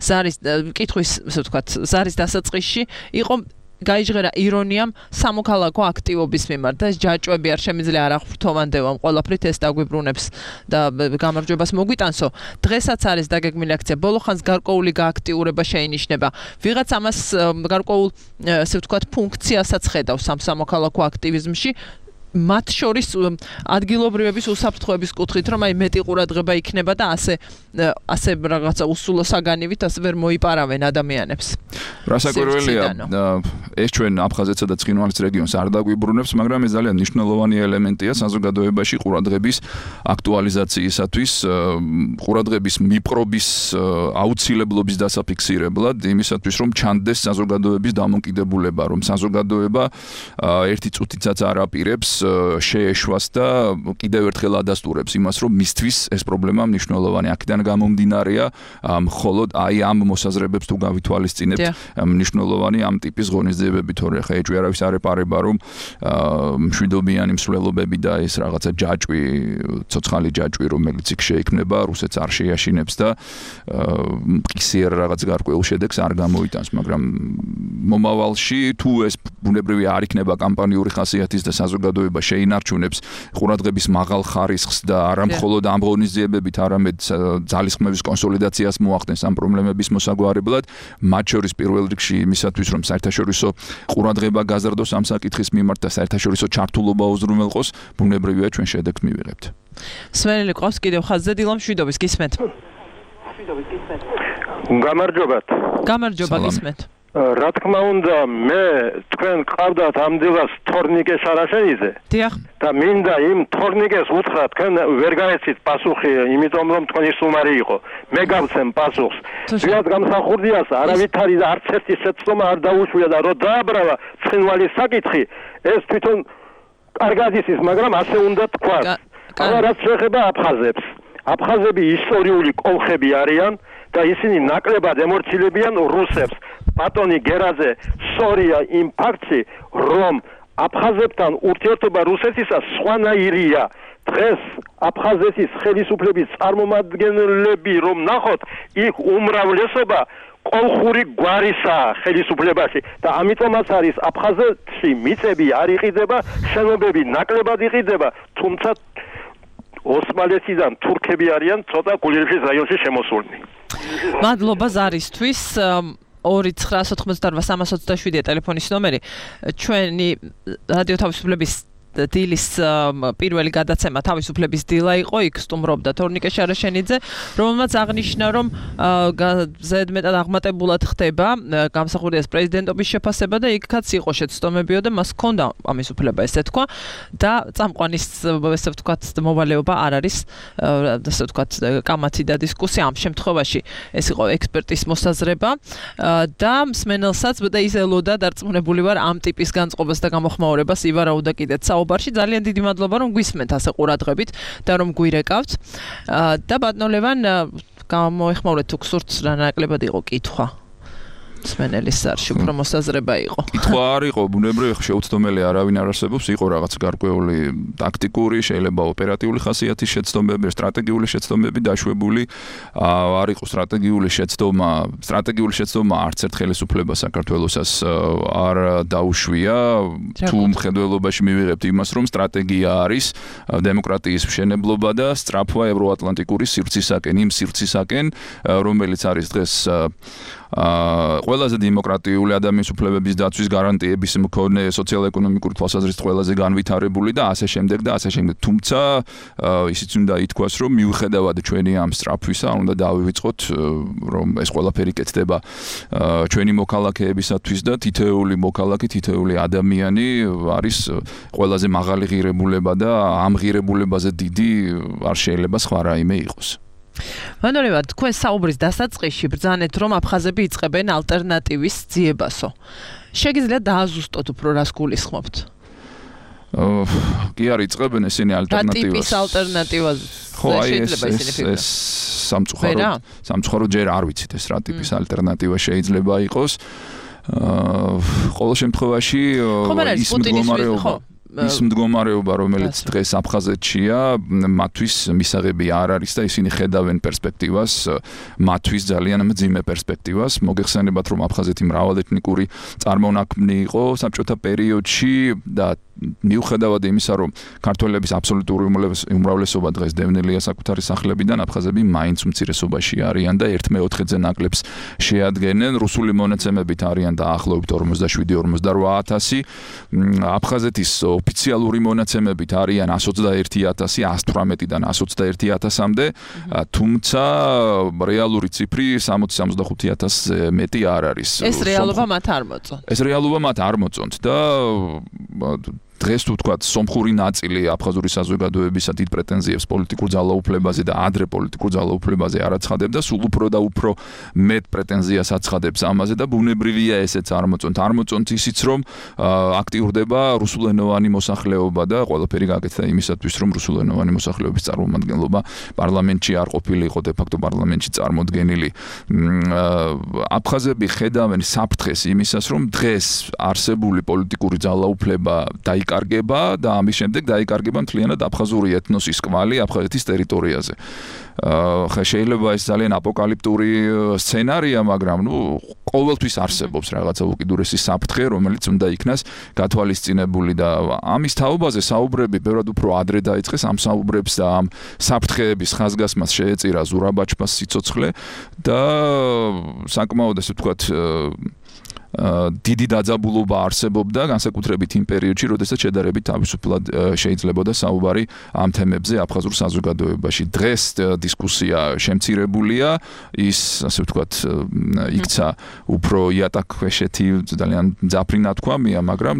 ზარის კითხვის, ასე ვთქვათ, ზარის დასაწყისში იყო გაიჟღერა ირონიამ სამოქალაქო აქტივობის მიმართ და ეს ჯაჭვები არ შემიძლია არ აღფრთოვანდევამ ყველაფრით ეს დაგვიბრუნებს და გამარჯვებას მოგვიტანსო. დღესაც არის დაგეგმილი აქცია, ბოლო ხანს გარკვეული გააქტიურება შეინიშნება. ვიღაც ამას გარკვეულ, ასე ვთქვათ, ფუნქციასაც ხედავს ამ სამოქალაქო აქტივიზმში. მათ შორის ადგილობრივების უსაფრთხოების კუთხით, რომ აი მეტი ყურადღება იქნება და ასე რაღაცა უსულო საგანივით ასე ვერ მოიპარავენ ადამიანებს. რასაკვირველია, ეს ჩვენ აფხაზეთსა და ცხინვალის რეგიონს არ დაგვიბრუნებს, მაგრამ ეს ძალიან მნიშვნელოვანი ელემენტია საზოგადოებაში ყურადღების აქტუალიზაციისათვის, ყურადღების მიპყრობის აუცილებლობის დასაფიქსირებლად, იმისათვის, რომ ჩანდეს საზოგადოების დამოკიდებულება, რომ საზოგადოება ერთი წუთიცაც არ აპირებს შეეშვას და კიდევ ერთხელ ადასტურებს იმას, რომ მისთვის ეს პრობლემა მნიშვნელოვანი. აქედან გამომდინარეა, მხოლოდ აი ამ მოსაზრებებს თუ გავითვალისწინებთ, მნიშვნელოვანი ამ ტიპის ღონისძიებები, თორე ხა ეჭვი არავის არ ეპარება, რომ მშვიდობიანი მსვლელობები და ეს რაღაცა ჯაჭვი, ცოცხალი ჯაჭვი, რომელიც იქ შეიქმნება, რუსეთს არ შეიაშინებს და მყისიერ რაღაც გარკვეულ შედეგს არ გამოიტანს, მაგრამ მომავალში თუ ეს ბუნებრივი არ იქნება კამპანიური ხასიათის და საზოგადოება შეინარჩუნებს ყურადღების მაღალ ხარისხს და არა მხოლოდ ამ ღონისძიებებით, არამედ ძალისხმევის კონსოლიდაციას მოახდენს ამ პრობლემების მოსაგვარებლად, მათ შორის პირველ რიგში იმისათვის, რომ საერთაშორისო ყურადღება გაზრდოს ამ საკითხის მიმართ და საერთაშორისო ჩართულობა უზრუნველყოს, ბუნებრივია ჩვენ შედეგს მივიღებთ. მსმენელი ყავს კიდევ ხაზზე, დილა მშვიდობის, გისმენთ. გამარჯობათ. გამარჯობა, გისმენთ. რა თქმა უნდა, მე თქვენ ყავდათ ამ დილას თორნიკე შარაშენიძე. დიახ. და მინდა იმ თორნიკეს უთხრა, თქვენ ვერ გაეცით პასუხი, იმიტომ რომ თქვენი სტუმარი იყო. მე გავცემ პასუხს. ვიად გამსახურდიას არავითარი და არც ერთი შეცდომა არ დაუშვია და რო დააბრავა ცხინვალის საკითხი, ეს თვითონ კარგად იცის, მაგრამ ასე უნდა თქვას. ახლა რაც შეეხება აფხაზებს. აფხაზები ისტორიული კოლხები არიან და ისინი ნაკლებად ემორცილებიან რუსებს. ბატონი გერაძე სწორია იმ ფაქტში, რომ აფხაზებთან ურთიერთობა რუსეთისას სხვანაირია. დღეს აფხაზეთის ხელისუფლების წარმომადგენლები რომ ნახოთ, იქ უმრავლესობა კოლხური გვარისაა ხელისუფლებაში და ამიტომაც არის აფხაზეთში მიწები არ იყიდება, შენობები ნაკლებად იყიდება, თუმცა ოსმალეთიდან თურქები არიან ცოტა გულიერის რაიონში შემოსულნი. მადლობა ზარისთვის. 2988327-ია ტელეფონის ნომერი. ჩვენი რადიო თავისუფლების დილის პირველი გადაცემა თავისუფლების დილა იყო, იქ სტუმრობდა თორნიკე შარაშენიძე, რომელმაც აღნიშნა, რომ ზედმეტად აღმატებულად ხდება გამსახურდიას პრეზიდენტობის შეფასება და იქაც იყო შეცდომებიო და მას ჰქონდა ამის უფლება, ესე თქვა და წამყვანის, ესე ვთქვათ, მოვალეობა არ არის, ასე ვთქვათ, კამათი და დისკუსია. ამ შემთხვევაში ეს იყო ექსპერტის მოსაზრება და მსმენელსაც და ის ელოდა დარწმუნებული ვარ ამ ტიპის განწყობას და გამოხმაურებას ივარაუდა კიდეც საუბარში. ძალიან დიდი მადლობა, რომ გვისმენთ ასე ყურადღებით და რომ გვირეკავთ. და ბატონ ლევან, გამოეხმაურეთ თუ გსურთ რა ნაკლებად იყო კითხვა. სმენელის სარში უფრო მოსაზრება იყო. კითხვა არ იყო, ბუნებრივი შეუცდომელი არავინ არ არსებობს, იყო რაღაც გარკვეული ტაქტიკური, შეიძლება ოპერატიული ხასიათის შეცდომები, სტრატეგიული შეცდომები დაშვებული, არ იყო სტრატეგიული შეცდომა არც ერთ ხელისუფლებას საქართველოსაც არ დაუშვია, თუ მხედველობაში მივიღებთ იმას, რომ სტრატეგია არის დემოკრატიის მშენებლობა და სწრაფვა ევროატლანტიკური სივრცისაკენ, იმ სივრცისაკენ, რომელიც არის დღეს ყველაზე დემოკრატიული ადამიანის უფლებების დაცვის გარანტიების მქონე სოციალურ-ეკონომიკური თვალსაზრისით ყველაზე განვითარებული და ასე შემდეგ და ასე შემდეგ. თუმცა ისიც უნდა ითქვას, რომ მიუხედავად ჩვენი ამ სწრაფვისა, უნდა დავივიწყოთ, რომ ეს ყველაფერი კეთდება ჩვენი მოქალაქეებისათვის და თითოეული მოქალაქე, თითოეული ადამიანი არის ყველაზე მაღალი ღირებულება და ამ ღირებულებაზე დიდი არ შეიძლება სხვა რაიმე იყოს. მანორევა, თქვენ საუბრის დასაწყისში ბრძანეთ, რომ აფხაზები იწყებენ ალტერნატივის ძიებასო. შეგიძლიათ დააზუსტოთ უფრო რას გულისხმობთ? კი არ იწყებენ ესენი ალტერნატივას. რა ტიპის ალტერნატივას? ხო, ეს სამწუხარო ჯერ არ ვიცით ეს რა ტიპის ალტერნატივა შეიძლება იყოს. ყოველ შემთხვევაში ის მდგომარეობა, რომელიც დღეს აფხაზეთშია, მათთვის მისაღები არ არის და ისინი ხედავენ პერსპექტივას, მათთვის ძალიან მძიმე პერსპექტივას. მოგეხსენებათ, რომ აფხაზეთი მრავალეთნიკური წარმონაქმნი იყო საბჭოთა პერიოდში და მიუხედავად იმისა, რომ ქართველების აბსოლუტური უმრავლესობა დღეს დევნილია საკუთარი სახლებიდან, აფხაზები მაინც უმცირესობაში არიან და 1/4-ზე ნაკლებს შეადგენენ. რუსული მონაცემებით არიან დაახლოებით 47-48,000. აფხაზეთის ოფიციალური მონაცემებით არიან 121,000, 118-დან 121,000-მდე, თუმცა რეალური ციფრი 60-65,000-ზე მეტი არ არის. ეს რეალობა მათ არ მოწონთ. ეს რეალობა მათ არ მოწონთ და დღეს თუ თქვათ სომხური ნაწილი აფხაზური საზოგადოებისა დიდ პრეტენზიებს პოლიტიკურ ძალაუფლებაზე და ადრე პოლიტიკურ ძალაუფლებაზე არ აცხადებდა, სულ უფრო და უფრო მეტ პრეტენზიას აცხადებს ამაზე და ბუნებრივია ესეც არ მოწონთ. არ მოწონთ ისიც, რომ აქტიურდება რუსულენოვანი მოსახლეობა და ყველაფერი გაკეთდა იმისათვის, რომ რუსულენოვანი მოსახლეობის წარმომადგენლობა პარლამენტში არ ყოფილიყო, de facto პარლამენტში წარმოდგენილი. აფხაზები ხედავენ საფრთხეს იმისას, რომ დღეს არსებული პოლიტიკური ძალაუფლება დაიკარგება და ამის შემდეგ დაიკარგება მთლიანად აფხაზური ეთნოსის კვალი აფხაზეთის ტერიტორიაზე. ხა შეიძლება ეს ძალიან აპოკალიფტური სცენარია, მაგრამ ყოველთვის არსებობს რაღაცა უკიდურესი საფრთხე, რომელიც უნდა იქნას გათვალისწინებული და ამის თაობაზე საუბრები ბევრად უფრო ადრე დაიწყეს. ამ საუბრებს და ამ საფრთხეების ხაზგასმას შეეწირა ზურაბაჩფას სიცოცხლე და საკმაოდ ესე ვთქვათ დიდი დაძაბულობა არსებობდა განსაკუთრებით იმ პერიოდში, როდესაც შედარებით თავისუფლად შეიძლებოდა საუბარი ამ თემებზე აფხაზურ საზოგადოებაში. დღეს დისკუსია შემცირებულია, ის ასე ვთქვათ იქცა უფრო იატაკქვეშეთი, ძალიან მძაფრი ნათქვამია, მაგრამ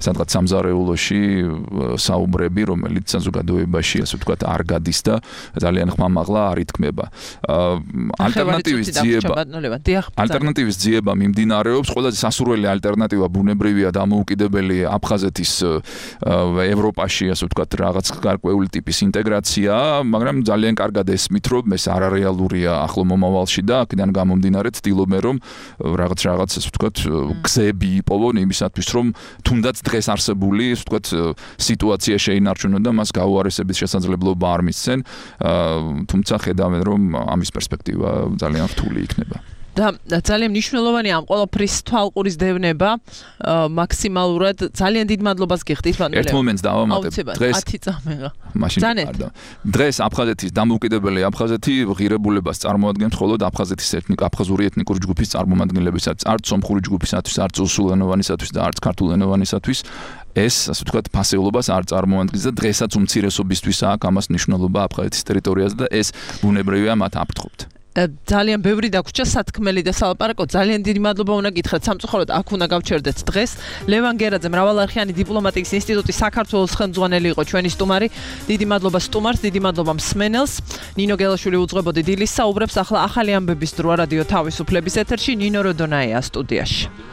სადღაც სამზარეულოში საუბრები, რომელიც საზოგადოებაში ასე ვთქვათ არ გადის და ძალიან ხმამაღლა არ ითქმება. ალტერნატივის ძიება მიმდინარეობს, ყველაზე სასურველი ალტერნატივა ბუნებრივია დამოუკიდებელი აფხაზეთის ევროპაში, ასე ვთქვათ, რაღაც გარკვეული ტიპის ინტეგრაცია, მაგრამ ძალიან კარგად ესმით, რომ ეს არარეალურია ახლო მომავალში და აქედან გამომდინარე ცდილობენ, რომ რაღაც ასე ვთქვათ, გზები იპოვონ იმისათვის, რომ თუნდაც დღეს არსებული, ასე ვთქვათ, სიტუაცია შეინარჩუნონ და მას გაუარესების შესაძლებლობა არ მისცენ, თუმცა ხედავენ, რომ ამის პერსპექტივა ძალიან რთული იქნება. და ძალიან მნიშვნელოვანია ამ ყველაფრის თვალყურის დევნება მაქსიმალურად ძალიან დიდ მადლობას გიხდით მანუელ. ერთ მომენტს დავამატებ. დღეს 10 წამეღა. დღეს აფხაზეთის დამოუკიდებელი აფხაზეთი ღირებულებას წარმოადგენს მხოლოდ აფხაზური ეთნიკური ჯგუფის წარმომადგენლებისათვის, არც სომხური ჯგუფისათვის, არც რუსულენოვანისათვის და არც ქართულენოვანისათვის. ეს ასე ვთქვათ ფასეულობას არ წარმოადგენს და დღესაც უმცირესობისთვის აქვს ამას მნიშვნელობა აფხაზეთის ტერიტორიაზე და ეს ბუნებრივია მათ აფრთხობთ. ძალიან ბევრი დაგვრჩა სათქმელი და სალაპარაკო. ძალიან დიდი მადლობა უნდა გითხრათ. სამწუხაროდ აქ უნდა გავჩერდეთ დღეს. ლევან გერაძე, მრავალარხიანი დიპლომატიის ინსტიტუტის საქართველოს ხელმძღვანელი იყო ჩვენი სტუმარი. დიდი მადლობა სტუმარს, დიდი მადლობა მსმენელს. ნინო გელაშვილი უძღვებოდი დილის საუბრებს. ახლა ახალი ამბების დროა რადიო თავისუფლების ეთერში. ნინო როდონაია სტუდიაში.